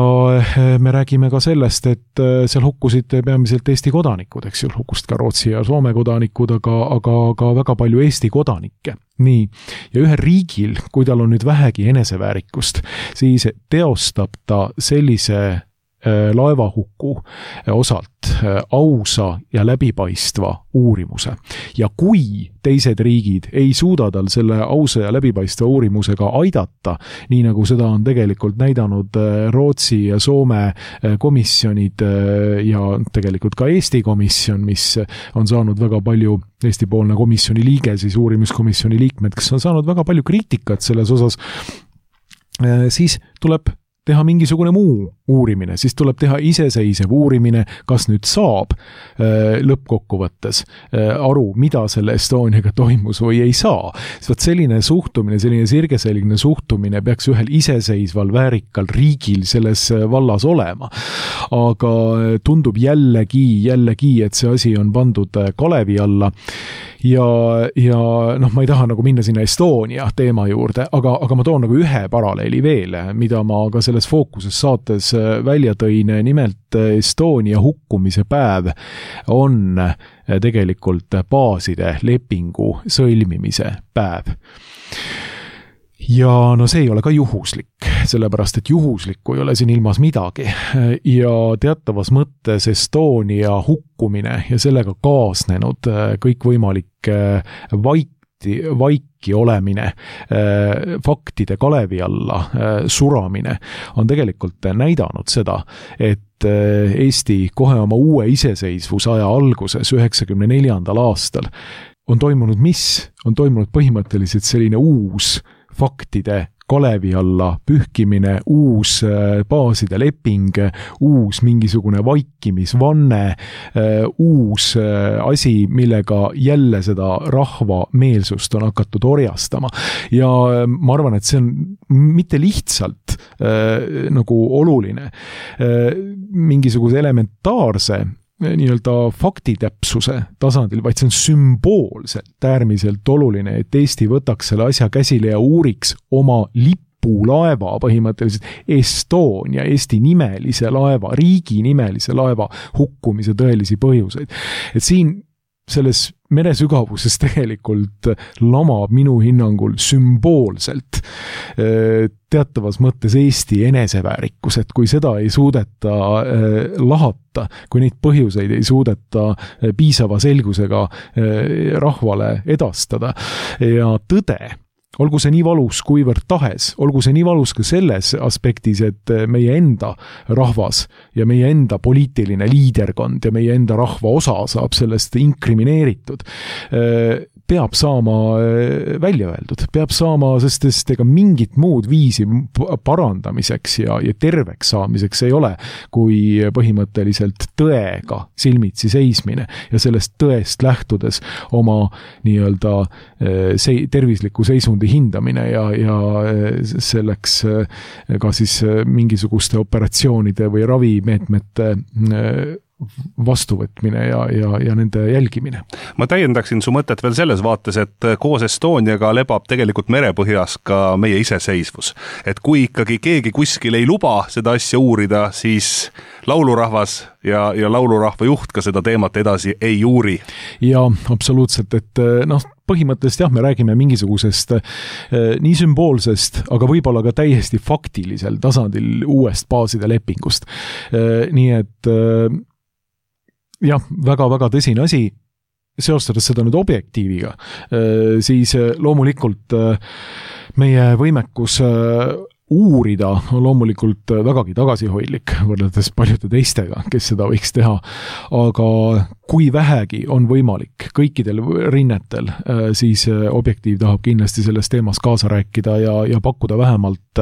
me räägime ka sellest, et seal hukkusid peamiselt Eesti kodanikud, eks ju, hukkusid ka Rootsi ja Soome kodanikud, aga väga palju Eesti kodanikke. Nii, ja ühe riigil, kui tal on nüüd vähegi eneseväärikust, siis teostab ta sellise laevahuku osalt ausa ja läbipaistva uurimuse. Ja kui teised riigid ei suuda tal selle ausa ja läbipaistva uurimusega aidata, nii nagu seda on tegelikult näidanud Rootsi ja Soome komisjonid ja tegelikult ka Eesti komisjon, mis on saanud väga palju Eesti-poolne komisjoni liige, siis uurimiskomisjoni liikmed, kes on saanud väga palju kriitikat selles osas, siis tuleb teha mingisugune muu uurimine, siis tuleb teha iseseisev uurimine, kas nüüd saab lõppkokkuvõttes aru, mida selle Estoniaga toimus või ei saa. Sest selline suhtumine, selline sirgeselgne suhtumine peaks ühel iseseisval väärikal riigil selles vallas olema. Aga tundub jällegi, et see asi on pandud kalevi alla ja noh, ma ei taha nagu minna sinna Estonia teema juurde, aga ma toon nagu ühe paralleeli veel, mida ma ka selles fookuses saates välja tõin, nimelt Estonia hukkumise päev on tegelikult baaside lepingu sõlmimise päev. Ja no see ei ole ka juhuslik, sellepärast et juhuslikku ei ole siin ilmas midagi ja teatavas mõttes Estonia hukkumine ja sellega kaasnenud kõikvõimalik vaiki olemine, faktide kalevi alla suramine on tegelikult näidanud seda, et Eesti kohe oma uue iseseisvusaja alguses 1994. aastal on toimunud mis? On toimunud põhimõtteliselt selline uus faktide kalevi alla pühkimine, uus baaside leping, uus mingisugune vaikimisvanne, uus asi, millega jälle seda rahva meelsust on hakatud orjastama. Ja ma arvan, et see on mitte lihtsalt nagu oluline, mingisuguse elementaarse nii-öelda faktitäpsuse tasandil, vaid see on sümboolselt äärmiselt oluline, et Eesti võtaks selle asja käsile ja uuriks oma lipulaeva, põhimõtteliselt Estonia, Eesti nimelise laeva, riigi nimelise laeva hukkumise tõelisi põhjuseid. Et siin selles meresügavuses tegelikult lamab minu hinnangul sümboolselt teatavas mõttes Eesti eneseväärikus, et kui seda ei suudeta lahata, kui neid põhjuseid ei suudeta piisava selgusega rahvale edastada ja tõde, olgu see nii valus kuivõrd tahes, olgu see nii valus ka selles aspektis, et meie enda rahvas ja meie enda poliitiline liiderkond ja meie enda rahva osa saab sellest inkrimineeritud, peab saama välja öeldud, peab saama, sest ega mingit muud viisi parandamiseks ja terveks saamiseks ei ole, kui põhimõtteliselt tõega silmitsi seismine ja sellest tõest lähtudes oma nii-öelda tervisliku seisundi hindamine ja selleks ka siis mingisuguste operatsioonide või ravimeetmete vastuvõtmine ja nende jälgimine. Ma täiendaksin su mõtet veel selles vaates, et koos Estoniaga lebab tegelikult merepõhjas ka meie iseseisvus. Et kui ikkagi keegi kuskil ei luba seda asja uurida, siis laulurahvas ja laulurahva juht ka seda teemat edasi ei uuri. Ja absoluutselt, et põhimõtteliselt jah, me räägime mingisugusest nii sümboolsest, aga võib-olla ka täiesti faktilisel tasandil uuest baaside lepingust. Nii et jah, väga-väga tõsine asi, seostades seda nüüd objektiiviga, siis loomulikult meie võimekus uurida on loomulikult vägagi tagasihoidlik võrreldes paljude teistega, kes seda võiks teha, aga kui vähegi on võimalik kõikidel rinnetel, siis Objektiiv tahab kindlasti selles teemas kaasa rääkida ja pakkuda vähemalt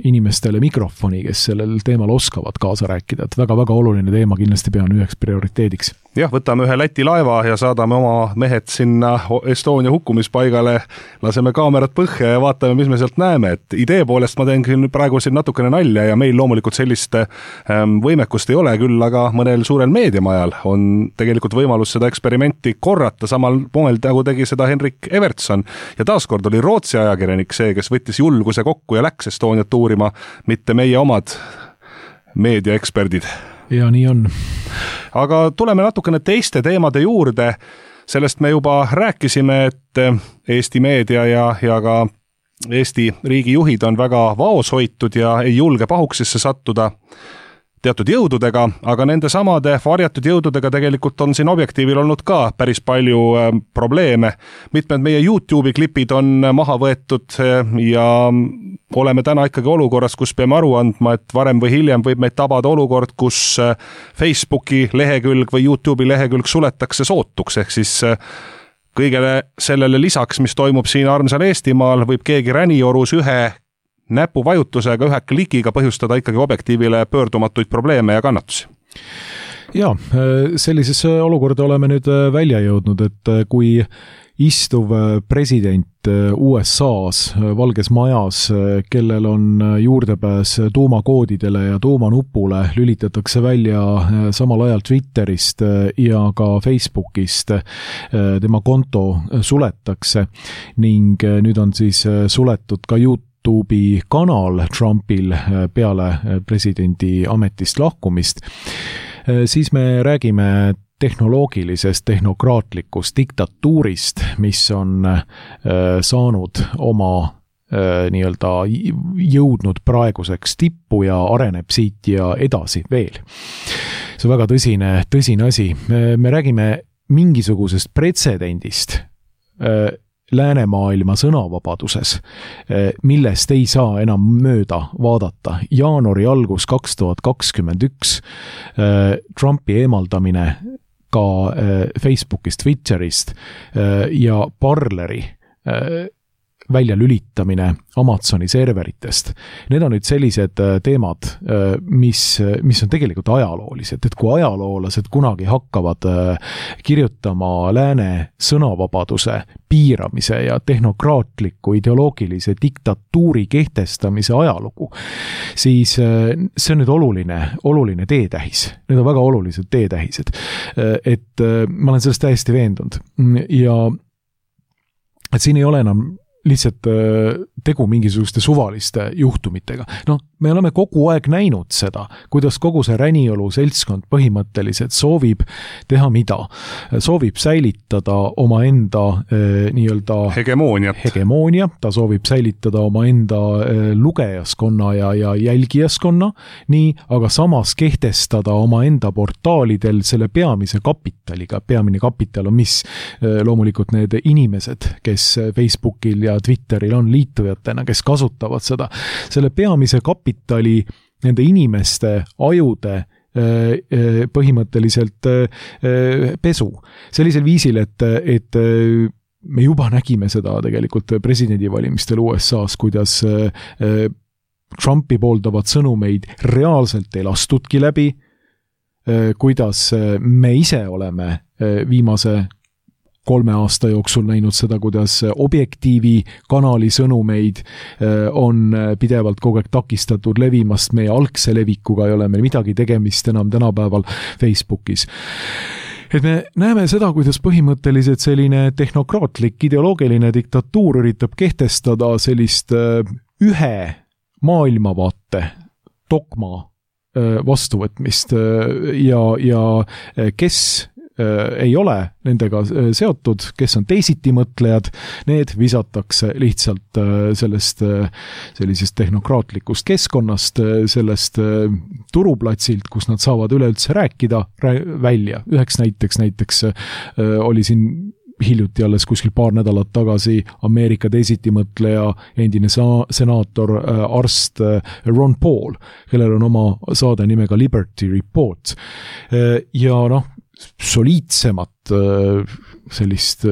inimestele mikrofoni, kes sellel teemal oskavad kaasa rääkida, et väga-väga oluline teema kindlasti pean üheks prioriteediks. Jah, võtame ühe Läti laeva ja saadame oma mehed sinna Estonia hukkumispaigale, laseme kaamerat põhja ja vaatame, mis me sealt näeme, et idee poolest ma teen küll praegu siin natukene nalja ja meil loomulikult sellist võimekust ei ole küll, aga mõnel suurel meediamajal on tegelikult võimalus seda eksperimenti korrata samal moel, nagu tegi seda Henrik Evertson ja taaskord oli Rootsi ajakirjanik see, kes võttis julguse kokku ja läks Estoniat uurima, mitte meie omad meediaeksperdid. Ja nii on. Aga tuleme natukene teiste teemade juurde, sellest me juba rääkisime, et Eesti meedia ja ka Eesti riigijuhid on väga vaoshoitud ja ei julge pahuksisse sattuda teatud jõududega, aga nende samade varjatud jõududega tegelikult on siin Objektiivil olnud ka päris palju probleeme. Mitmed meie YouTube'i klipid on maha võetud ja oleme täna ikkagi olukorras, kus peame aru andma, et varem või hiljem võib meid tabada olukord, kus Facebooki lehekülg või YouTube'i lehekülg suletakse sootuks, ehk siis kõigele sellele lisaks, mis toimub siin armsal Eestimaal, võib keegi räniorus ühe näpuvajutusega, ühe klikiga põhjustada ikkagi Objektiivile pöördumatuid probleeme ja kannatusi. Ja, sellisesse olukorda oleme nüüd välja jõudnud, et kui istuv president USA-s Valges Majas, kellel on juurdepääs tuumakoodidele ja tuumanupule, lülitatakse välja samal ajal Twitterist ja ka Facebookist, tema konto suletakse ning nüüd on siis suletud ka YouTube'i kanal Trumpil peale presidendi ametist lahkumist, siis me räägime tehnoloogilisest, tehnokraatlikust diktatuurist, mis on saanud oma nii-öelda jõudnud praeguseks tippu ja areneb siit ja edasi veel. See on väga tõsine asi. Me räägime mingisugusest pretsedendist läänemaailma sõnavabaduses, millest ei saa enam mööda vaadata. Jaanuari algus 2021 Trumpi eemaldamine ka Facebookist, Twitterist ja Parleri välja lülitamine Amazoni serveritest. Need on nüüd sellised teemad, mis on tegelikult ajaloolised, et kui ajaloolased kunagi hakkavad kirjutama lääne sõnavabaduse piiramise ja tehnokraatliku ideoloogilise diktatuuri kehtestamise ajalugu, siis see on nüüd oluline teetähis. Need on väga olulised teetähised. Et ma olen sellest täiesti veendunud. Ja et siin ei ole enam lihtsalt tegu mingisuguste suvaliste juhtumitega. Me oleme kogu aeg näinud seda, kuidas kogu see Räniolu seltskond põhimõtteliselt soovib teha mida? Soovib säilitada oma enda nii-öelda hegemoonia, ta soovib säilitada oma enda lugejaskonna ja jälgijaskonna, nii, aga samas kehtestada oma enda portaalidel selle peamise kapitaliga. Peamine kapital on mis? Loomulikult need inimesed, kes Facebookil ja Twitteril on liitujatena, kes kasutavad seda. Selle peamise kapitali nende inimeste ajude põhimõtteliselt pesu. Sellisel viisil, et me juba nägime seda tegelikult presidendivalimistel USA-s, kuidas Trumpi pooldavad sõnumeid reaalselt ei lastudki läbi, kuidas me ise oleme viimase 3 aasta jooksul näinud seda, kuidas Objektiivi kanali sõnumeid on pidevalt kogu aeg takistatud levimast, meie algse levikuga ei ole meil midagi tegemist enam tänapäeval Facebookis. Et me näeme seda, kuidas põhimõtteliselt selline tehnokraatlik ideoloogiline diktatuur üritab kehtestada sellist ühe maailmavaate dogma vastuvõtmist ja kes ei ole nendega seotud, kes on teisitimõtlejad, need visatakse lihtsalt sellisest tehnokraatlikust keskkonnast, sellest turuplatsilt, kus nad saavad üleüldse rääkida välja. Üheks näiteks oli siin hiljuti alles kuskil paar nädalat tagasi Ameerika teisitimõtleja, endine senaator, arst Ron Paul, kellel on oma saade nimega Liberty Report. Ja soliidsemat sellist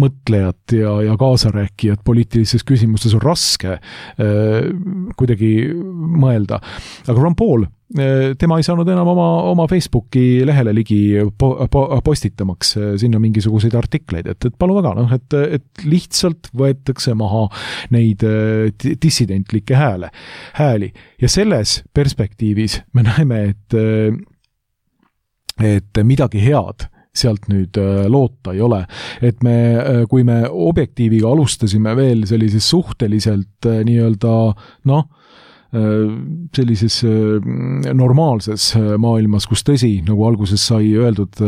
mõtlejat ja kaasarääkijat poliitilises küsimustes on raske kuidagi mõelda. Aga Ron Paul, tema ei saanud enam oma Facebooki lehele ligi postitamaks sinna mingisuguseid artikleid, et palun väga, et lihtsalt võetakse maha neid dissidentlikke hääli. Ja selles perspektiivis me näeme, et midagi head sealt nüüd loota ei ole. Et kui me Objektiiviga alustasime veel sellises suhteliselt nii-öelda, sellises normaalses maailmas, kus tõsi, nagu alguses sai öeldud,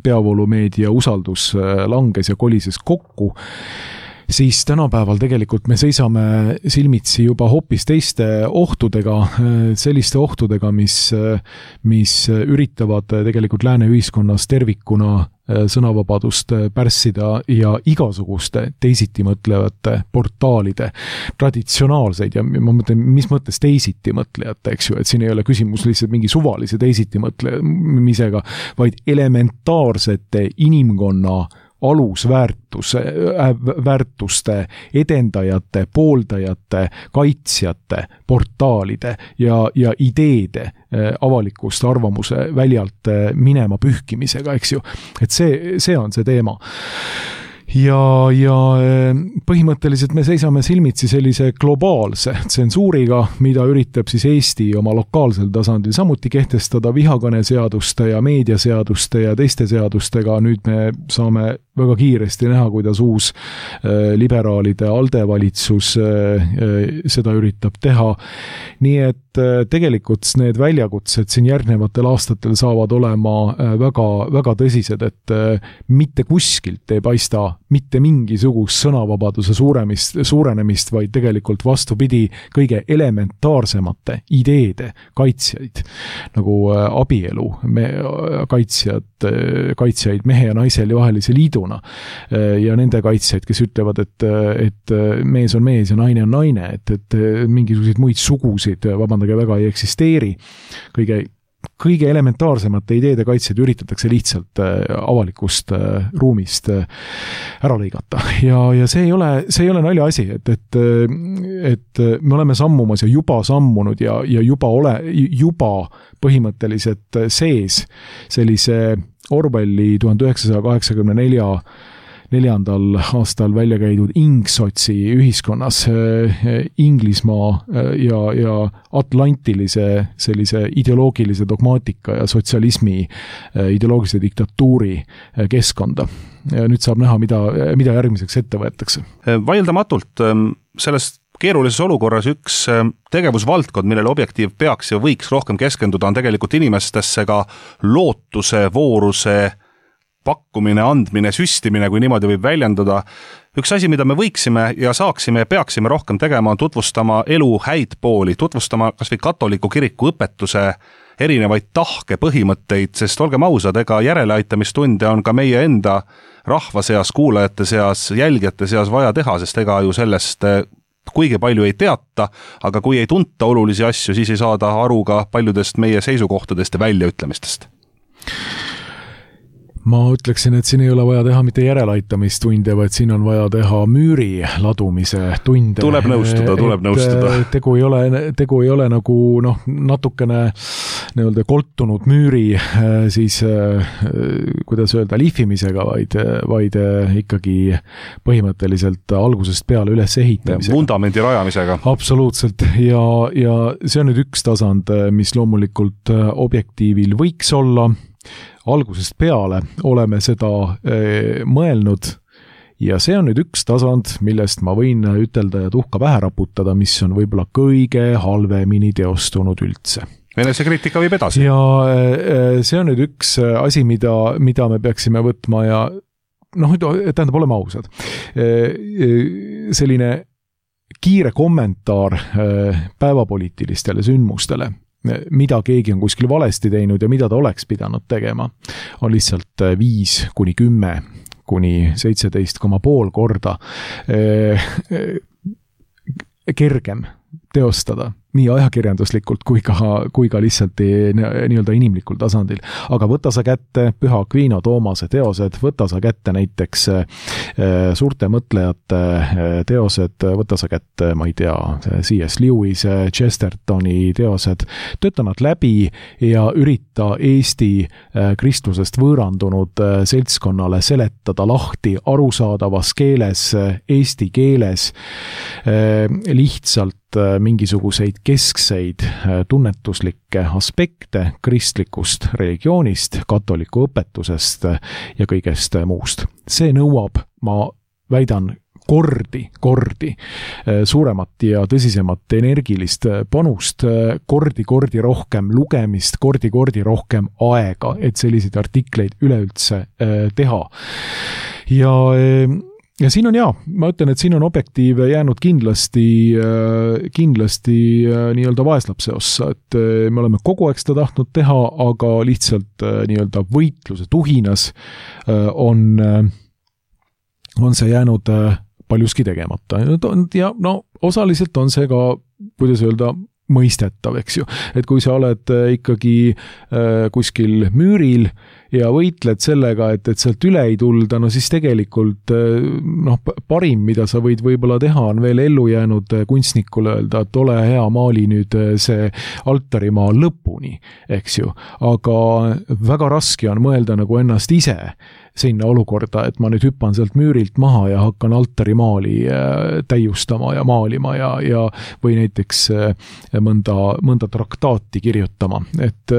peavoolumeedia usaldus langes ja kolises kokku, siis tänapäeval tegelikult me seisame silmitsi juba hoopis teiste ohtudega, selliste ohtudega, mis üritavad tegelikult lääne ühiskonnas tervikuna sõnavabadust pärssida ja igasuguste teisitimõtlevate portaalide traditsionaalseid ja ma mõtlen, mis mõttes teisitimõtlejate, eks ju, et siin ei ole küsimus lihtsalt mingi suvalise teisitimõtlemisega, vaid elementaarsete inimkonna alusväärtuste edendajate, pooldajate, kaitsjate, portaalide ja ideede avalikust arvamuse väljalt minema pühkimisega, eks ju. Et see on see teema. Ja põhimõtteliselt me seisame silmitsi sellise globaalse tsensuuriga, mida üritab siis Eesti oma lokaalsel tasandil samuti kehtestada vihakõneseaduste ja meediaseaduste ja teiste seadustega. Nüüd me saame väga kiiresti näha, kuidas uus liberaalide ALDE valitsus seda üritab teha. Nii et tegelikult need väljakutsed siin järgnevatel aastatel saavad olema väga, väga tõsised, et mitte kuskilt ei paista mitte mingisugust sõnavabaduse suurenemist, vaid tegelikult vastupidi kõige elementaarsemate ideede kaitsjaid, nagu abielu kaitsjaid mehe ja naise vahelise liiduna ja nende kaitsjaid, kes ütlevad, et mees on mees ja naine on naine, et mingisuguseid muid sugusid, vabandage, väga ei eksisteeri. kõige elementaarsemate ideede kaitsjad üritatakse lihtsalt avalikust ruumist ära lõigata. Ja see ei ole nalja asi, et me oleme sammumas ja juba sammunud ja juba põhimõtteliselt sees sellise Orwelli 1984 aastal välja käidud ingsotsi ühiskonnas Inglismaa ja atlantilise sellise ideoloogilise dogmaatika ja sotsialismi ideoloogilise diktatuuri keskkonda. Ja nüüd saab näha, mida järgmiseks ette võetakse. Vaieldamatult sellest keerulises olukorras üks tegevusvaldkond, millele Objektiiv peaks ja võiks rohkem keskenduda, on tegelikult inimestesse ka lootuse, vooruse pakkumine, andmine, süstimine, kui niimoodi võib väljendada. Üks asi, mida me võiksime ja saaksime ja peaksime rohkem tegema, on tutvustama elu häid pooli, tutvustama kas või katoliku kiriku õpetuse erinevaid tahke, põhimõtteid, sest olgem ausad, ega järeleaitamistunde on ka meie enda rahva seas, kuulajate seas, jälgijate seas vaja teha, sest ega ju sellest kuigi palju ei teata, aga kui ei tunta olulisi asju, siis ei saada aru ka paljudest meie seisukohtadest ja väljaütlemistest. Ma ütleksin, et siin ei ole vaja teha mitte järeleaitamistunde, vaid siin on vaja teha müüri ladumise tunde. Tuleb nõustuda. Tegu ei ole nagu natukene nii-öelda koltunud müüri siis, kuidas öelda, lihvimisega, vaid ikkagi põhimõtteliselt algusest peale üles ehitamisega. Vundamendi rajamisega. Absoluutselt. Ja see on nüüd üks tasand, mis loomulikult Objektiivil võiks olla. Algusest peale oleme seda mõelnud ja see on nüüd üks tasand, millest ma võin ütelda ja tuhka pähe raputada, mis on võib-olla kõige halvemini teostunud üldse. Enesekriitika võib edasi. Ja see on nüüd üks asi, mida me peaksime võtma ja tähendab, oleme ausad. Selline kiire kommentaar päevapoliitilistele sündmustele, mida keegi on kuskil valesti teinud ja mida ta oleks pidanud tegema, on lihtsalt 5 kuni 10 kuni 17,5 korda kergem teostada nii ajakirjanduslikult kui ka lihtsalt nii-öelda inimlikul tasandil. Aga võta sa kätte Püha Akviino Toomase teosed, võta sa kätte näiteks suurte mõtlejate teosed, võta sa kätte, ma ei tea, C.S. Lewis, Chestertoni teosed, tööta nad läbi ja ürita Eesti kristlusest võõrandunud seltskonnale seletada lahti arusaadavas keeles, eesti keeles, lihtsalt mingisuguseid keskseid tunnetuslikke aspekte kristlikust religioonist, katoliku õpetusest ja kõigest muust. See nõuab, ma väidan, kordi suuremat ja tõsisemat energilist panust, kordi rohkem lugemist, kordi rohkem aega, et selliseid artikleid üleüldse teha. Ja siin on ma ütlen, et siin on Objektiiv jäänud kindlasti nii-öelda vaeslapse ossa, et me oleme kogu aeg seda tahtnud teha, aga lihtsalt nii-öelda võitluse tuhinas on see jäänud paljuski tegemata. Ja osaliselt on see ka, kuidas öelda, mõistetav, eks ju. Et kui sa oled ikkagi kuskil müüril ja võitled sellega, et sealt üle ei tulda, siis tegelikult parim, mida sa võid võib-olla teha, on veel ellu jäänud kunstnikule öelda, et ole hea, maali nüüd see altarimaa lõpuni, eks ju. Aga väga raske on mõelda nagu ennast ise sinna olukorda, et ma nüüd hüppan sealt müürilt maha ja hakkan altarimaali täiustama ja maalima ja või näiteks mõnda traktaati kirjutama. Et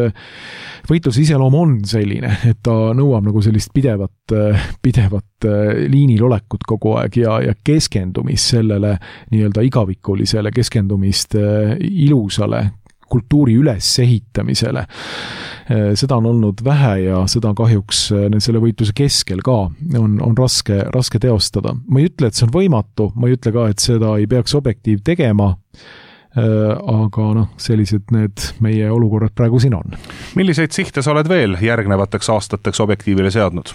võitluse iseloom on selline, et ta nõuab nagu sellist pidevat liinil olekut kogu aeg ja keskendumist sellele nii-öelda igavikulisele, keskendumist ilusale kultuuri ülesehitamisele. Seda on olnud vähe ja seda kahjuks selle võitluse keskel ka on raske teostada. Ma ei ütle, et see on võimatu, ma ei ütle ka, et seda ei peaks Objektiiv tegema, aga sellised need meie olukorrad praegu siin on. Milliseid sihte sa oled veel järgnevateks aastateks Objektiivile seadnud?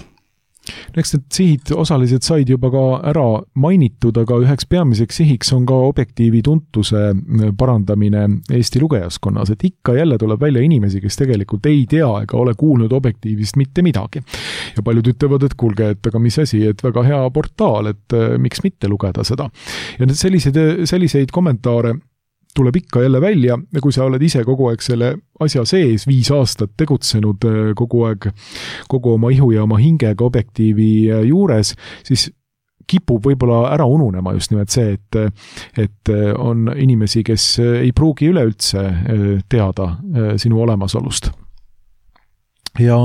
Eks need sihid osaliselt said juba ka ära mainitud, aga üheks peamiseks sihiks on ka objektiivi tuntuse parandamine Eesti lugejaskonnas, et ikka jälle tuleb välja inimesi, kes tegelikult ei tea ega ole kuulnud objektiivist mitte midagi. Ja paljud ütlevad, et kuulge, et aga mis asi, et väga hea portaal, et miks mitte lugeda seda. Ja need selliseid kommentaare tuleb ikka jälle välja ja kui sa oled ise kogu aeg selle asja sees 5 aastat tegutsenud kogu oma ihu ja oma hingega objektiivi juures, siis kipub võib-olla ära ununema just nimelt see, et on inimesi, kes ei pruugi üleüldse teada sinu olemasolust. Ja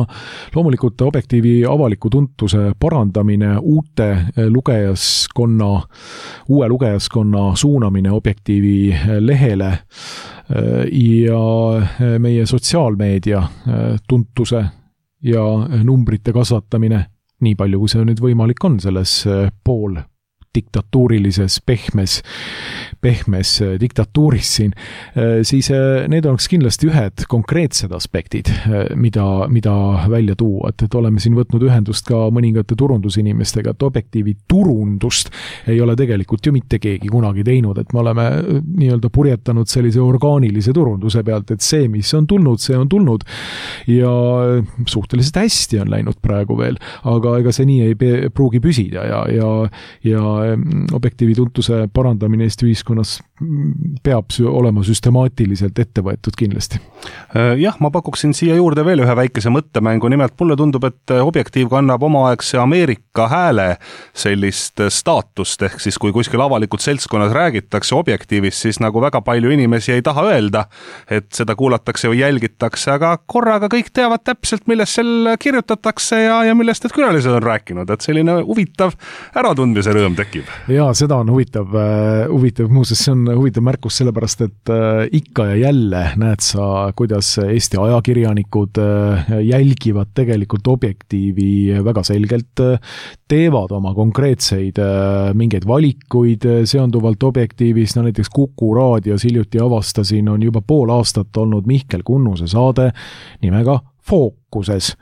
loomulikult objektiivi avaliku tuntuse parandamine, uue lugejaskonna suunamine objektiivi lehele ja meie sotsiaalmeedia tuntuse ja numbrite kasvatamine, nii palju kui see nüüd võimalik on selles pool diktatuurilises pehmes diktatuuris siin, siis need oleks kindlasti ühed konkreetsed aspektid, mida välja tuua, et oleme siin võtnud ühendust ka mõningate turundusinimestega, et objektiivi turundust ei ole tegelikult ju mitte keegi kunagi teinud, et me oleme nii-öelda purjetanud sellise orgaanilise turunduse pealt, et see, mis on tulnud, see on tulnud ja suhteliselt hästi on läinud praegu veel, aga ega see nii ei pruugi püsida ja objektiivi tuntuse parandamine Eesti ühiskonnas peab olema süstemaatiliselt ette võetud kindlasti. Jah, ma pakuksin siia juurde veel ühe väikese mõttemängu, nimelt mulle tundub, et objektiiv kannab omaaegse Ameerika hääle sellist staatust, ehk siis kui kuskil avalikult seltskonnas räägitakse objektiivist, siis nagu väga palju inimesi ei taha öelda, et seda kuulatakse või jälgitakse, aga korraga kõik teavad täpselt, millest seal kirjutatakse ja millest need külalised on rääkinud, et selline huvitav äratundmise rõõm tekib. Jaa, seda on huvitav, muuseas see on huvitav märkus sellepärast, et ikka ja jälle näed sa, kuidas Eesti ajakirjanikud jälgivad tegelikult objektiivi väga selgelt, teevad oma konkreetseid mingeid valikuid seonduvalt objektiivis, näiteks Kuku raadios hiljuti avastasin, on juba pool aastat olnud Mihkel Kunnuse saade nimega Fookuses.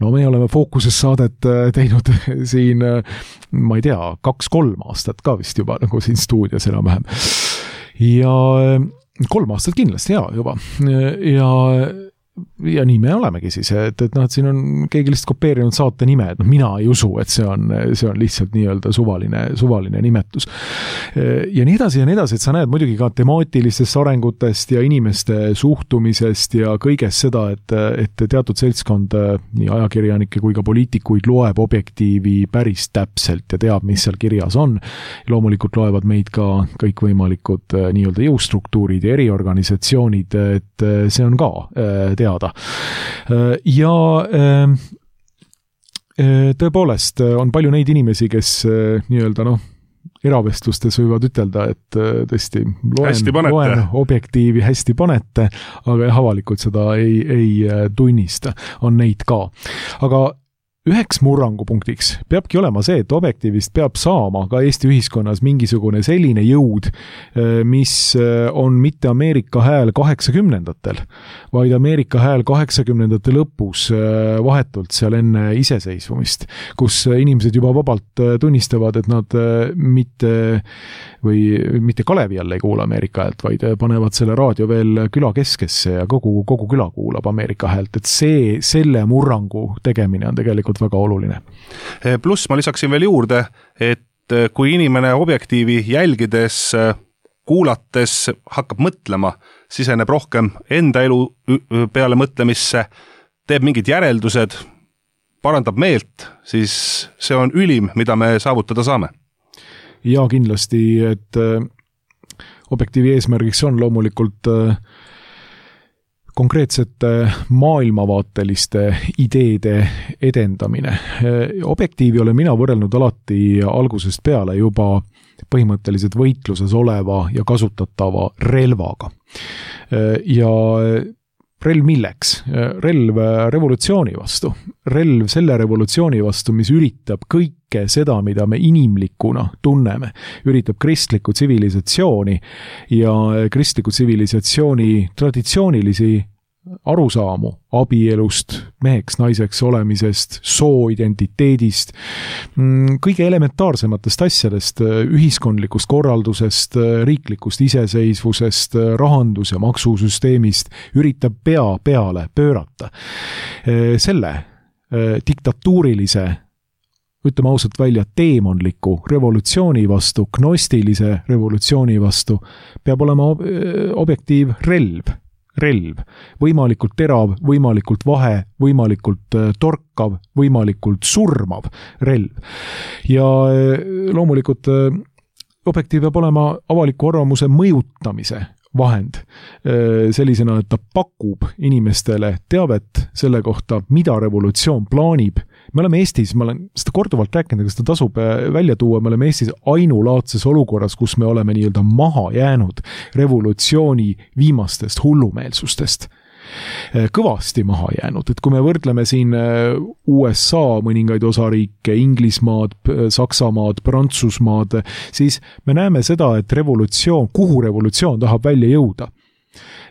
No me oleme Fookuses saadet teinud siin, ma ei tea, 2-3 aastat ka vist juba nagu siin stuudios enam-vähem. Ja 3 aastat kindlasti juba. Ja nii me olemegi siis, et siin on keegi lihtsalt kopeerinud saate nime, et mina ei usu, et see on lihtsalt nii-öelda suvaline nimetus. Ja nii edasi, et sa näed muidugi ka temaatilistest arengutest ja inimeste suhtumisest ja kõigest seda, et teatud seltskond nii ajakirjanikke kui ka poliitikuid loeb objektiivi päris täpselt ja teab, mis seal kirjas on. Loomulikult loevad meid ka kõikvõimalikud nii-öelda jõustruktuurid ja eriorganisatsioonid, et see on ka teada. Ja tõepoolest on palju neid inimesi, kes nii-öelda eravestlustes võivad ütelda, et tõesti loen objektiivi hästi panete, aga avalikult seda ei tunnista, on neid ka. Aga üheks murrangupunktiks peabki olema see, et objektiivist peab saama ka Eesti ühiskonnas mingisugune selline jõud, mis on mitte Ameerika hääl 80-ndatel, vaid Ameerika hääl 80-ndate lõpus vahetult seal enne iseseisvumist, kus inimesed juba vabalt tunnistavad, et nad mitte Kalevi all ei kuula Ameerika häält, vaid panevad selle raadio veel küla keskesse ja kogu küla kuulab Ameerika häält, et selle murrangu tegemine on tegelikult väga oluline. Pluss ma lisaksin veel juurde, et kui inimene objektiivi jälgides, kuulates hakkab mõtlema, siseneb rohkem enda elu peale mõtlemisse, teeb mingid järeldused, parandab meelt, siis see on ülim, mida me saavutada saame. Ja kindlasti, et objektiivi eesmärgiks on loomulikult konkreetsete maailmavaateliste ideede edendamine. Objektiivi olen mina võrrelnud alati algusest peale juba põhimõtteliselt võitluses oleva ja kasutatava relvaga. Ja relv milleks? Relv revolutsiooni vastu. Relv selle revolutsiooni vastu, mis üritab kõike seda, mida me inimlikuna tunneme. Üritab kristlikku tsivilisatsiooni ja kristliku tsivilisatsiooni traditsioonilisi arusaamu abielust, meheks, naiseks olemisest, sooidentiteedist, kõige elementaarsematest asjadest, ühiskondlikust korraldusest, riiklikust iseseisvusest, rahandus- ja maksusüsteemist üritab pea peale pöörata. Selle diktatuurilise, ütleme ausalt välja, teemonliku revolutsiooni vastu, gnostilise revolutsiooni vastu peab olema objektiiv relv, võimalikult terav, võimalikult vahe, võimalikult torkav, võimalikult surmav relv. Ja loomulikult objektiiv peab olema avaliku arvamuse mõjutamise vahend sellisena, et ta pakub inimestele teavet selle kohta, mida revolutsioon plaanib. Me oleme Eestis, ma olen seda korduvalt rääkinud, aga seda tasub välja tuua, me oleme Eestis ainulaadses olukorras, kus me oleme nii-öelda maha jäänud revolutsiooni viimastest hullumeelsustest. Kõvasti maha jäänud, et kui me võrdleme siin USA mõningaid osariike, Inglismaad, Saksamaad, Prantsusmaad, siis me näeme seda, et kuhu revolutsioon tahab välja jõuda.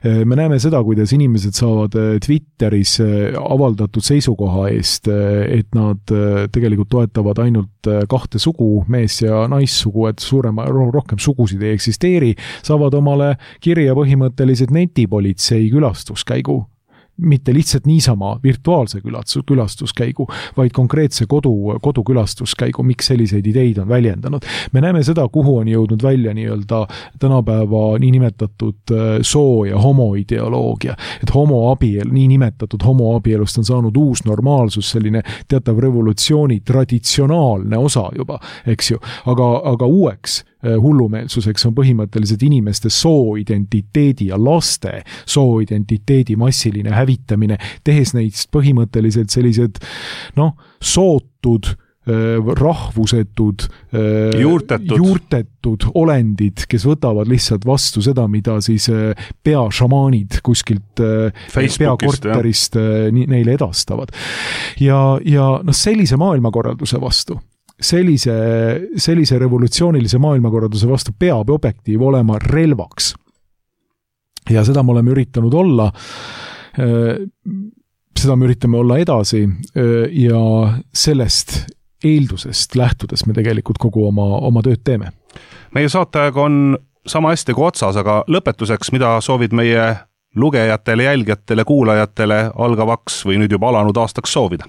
Me näeme seda, kuidas inimesed saavad Twitteris avaldatud seisukoha eest, et nad tegelikult toetavad ainult kahte sugu, mees- ja naissugu, et rohkem sugusid ei eksisteeri, saavad omale kirja põhimõtteliselt netipolitsei külastuskäigu. Mitte lihtsalt niisama virtuaalse külastuskäigu, vaid konkreetse kodukülastuskäigu, miks selliseid ideid on väljendanud. Me näeme seda, kuhu on jõudnud välja nii-öelda tänapäeva niinimetatud soo- ja homoideoloogia. Et niinimetatud homoabielust on saanud uus normaalsus, selline teatav revolutsiooni traditsionaalne osa juba, eks ju. Aga uueks hullumeelsuseks on põhimõtteliselt inimeste sooidentiteedi ja laste sooidentiteedi massiline hävitamine, tehes neist põhimõtteliselt sellised sootud, rahvusetud, juurtetud olendid, kes võtavad lihtsalt vastu seda, mida siis peašamaanid kuskilt peakorterist neile edastavad. Ja sellise maailmakorralduse vastu, sellise revolutsioonilise maailmakorralduse vastu peab objektiiv olema relvaks. Ja seda me oleme üritanud olla, seda me üritame olla edasi ja sellest eeldusest lähtudes me tegelikult kogu oma tööd teeme. Meie saateaeg on sama hästi kui otsas, aga lõpetuseks, mida soovid meie lugejatele, jälgijatele, kuulajatele algavaks või nüüd juba alanud aastaks soovida?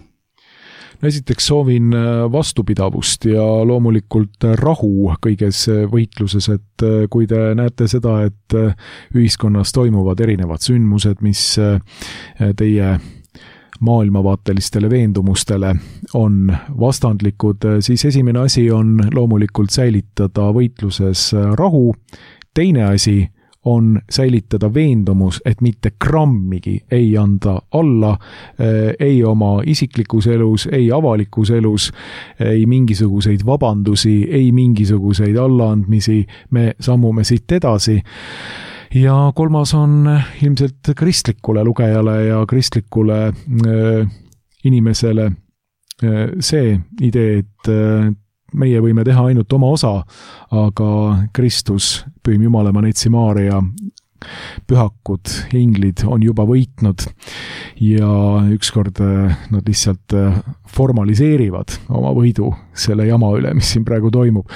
Esiteks soovin vastupidavust ja loomulikult rahu kõiges võitluses, et kui te näete seda, et ühiskonnas toimuvad erinevad sündmused, mis teie maailmavaatelistele veendumustele on vastandlikud, siis esimene asi on loomulikult säilitada võitluses rahu, teine asi on säilitada veendumus, et mitte grammigi ei anda alla, ei oma isiklikus elus, ei avalikus elus, ei mingisuguseid vabandusi, ei mingisuguseid allaandmisi, me sammume siit edasi. Ja kolmas on ilmselt kristlikule lugejale ja kristlikule inimesele see idee, et meie võime teha ainult oma osa, aga Kristus, Pühim Jumalaema Neitsi Maaria, pühakud, inglid on juba võitnud ja ükskord nad lihtsalt formaliseerivad oma võidu selle jama üle, mis siin praegu toimub.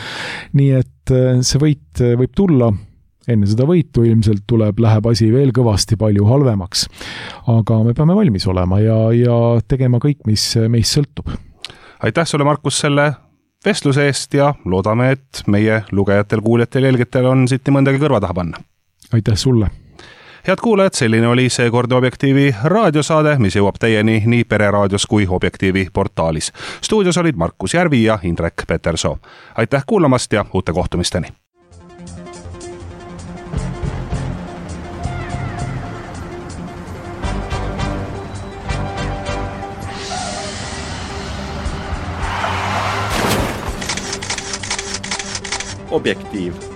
Nii et see võit võib tulla. Enne seda võitu ilmselt läheb asi veel kõvasti palju halvemaks, aga me peame valmis olema ja tegema kõik, mis meist sõltub. Aitäh sulle, Markus, selle vestluse eest ja loodame, et meie lugejatel, kuuljatel, jälgijatel on siit nii mõndagi kõrva taha panna. Aitäh sulle! Head kuulajad, selline oli seekord Objektiivi raadiosaade, mis jõuab teieni nii Pereraadios kui Objektiivi portaalis. Stuudios olid Markus Järvi ja Indrek Petersoo. Aitäh kuulamast ja uute kohtumisteni! Objektiiv.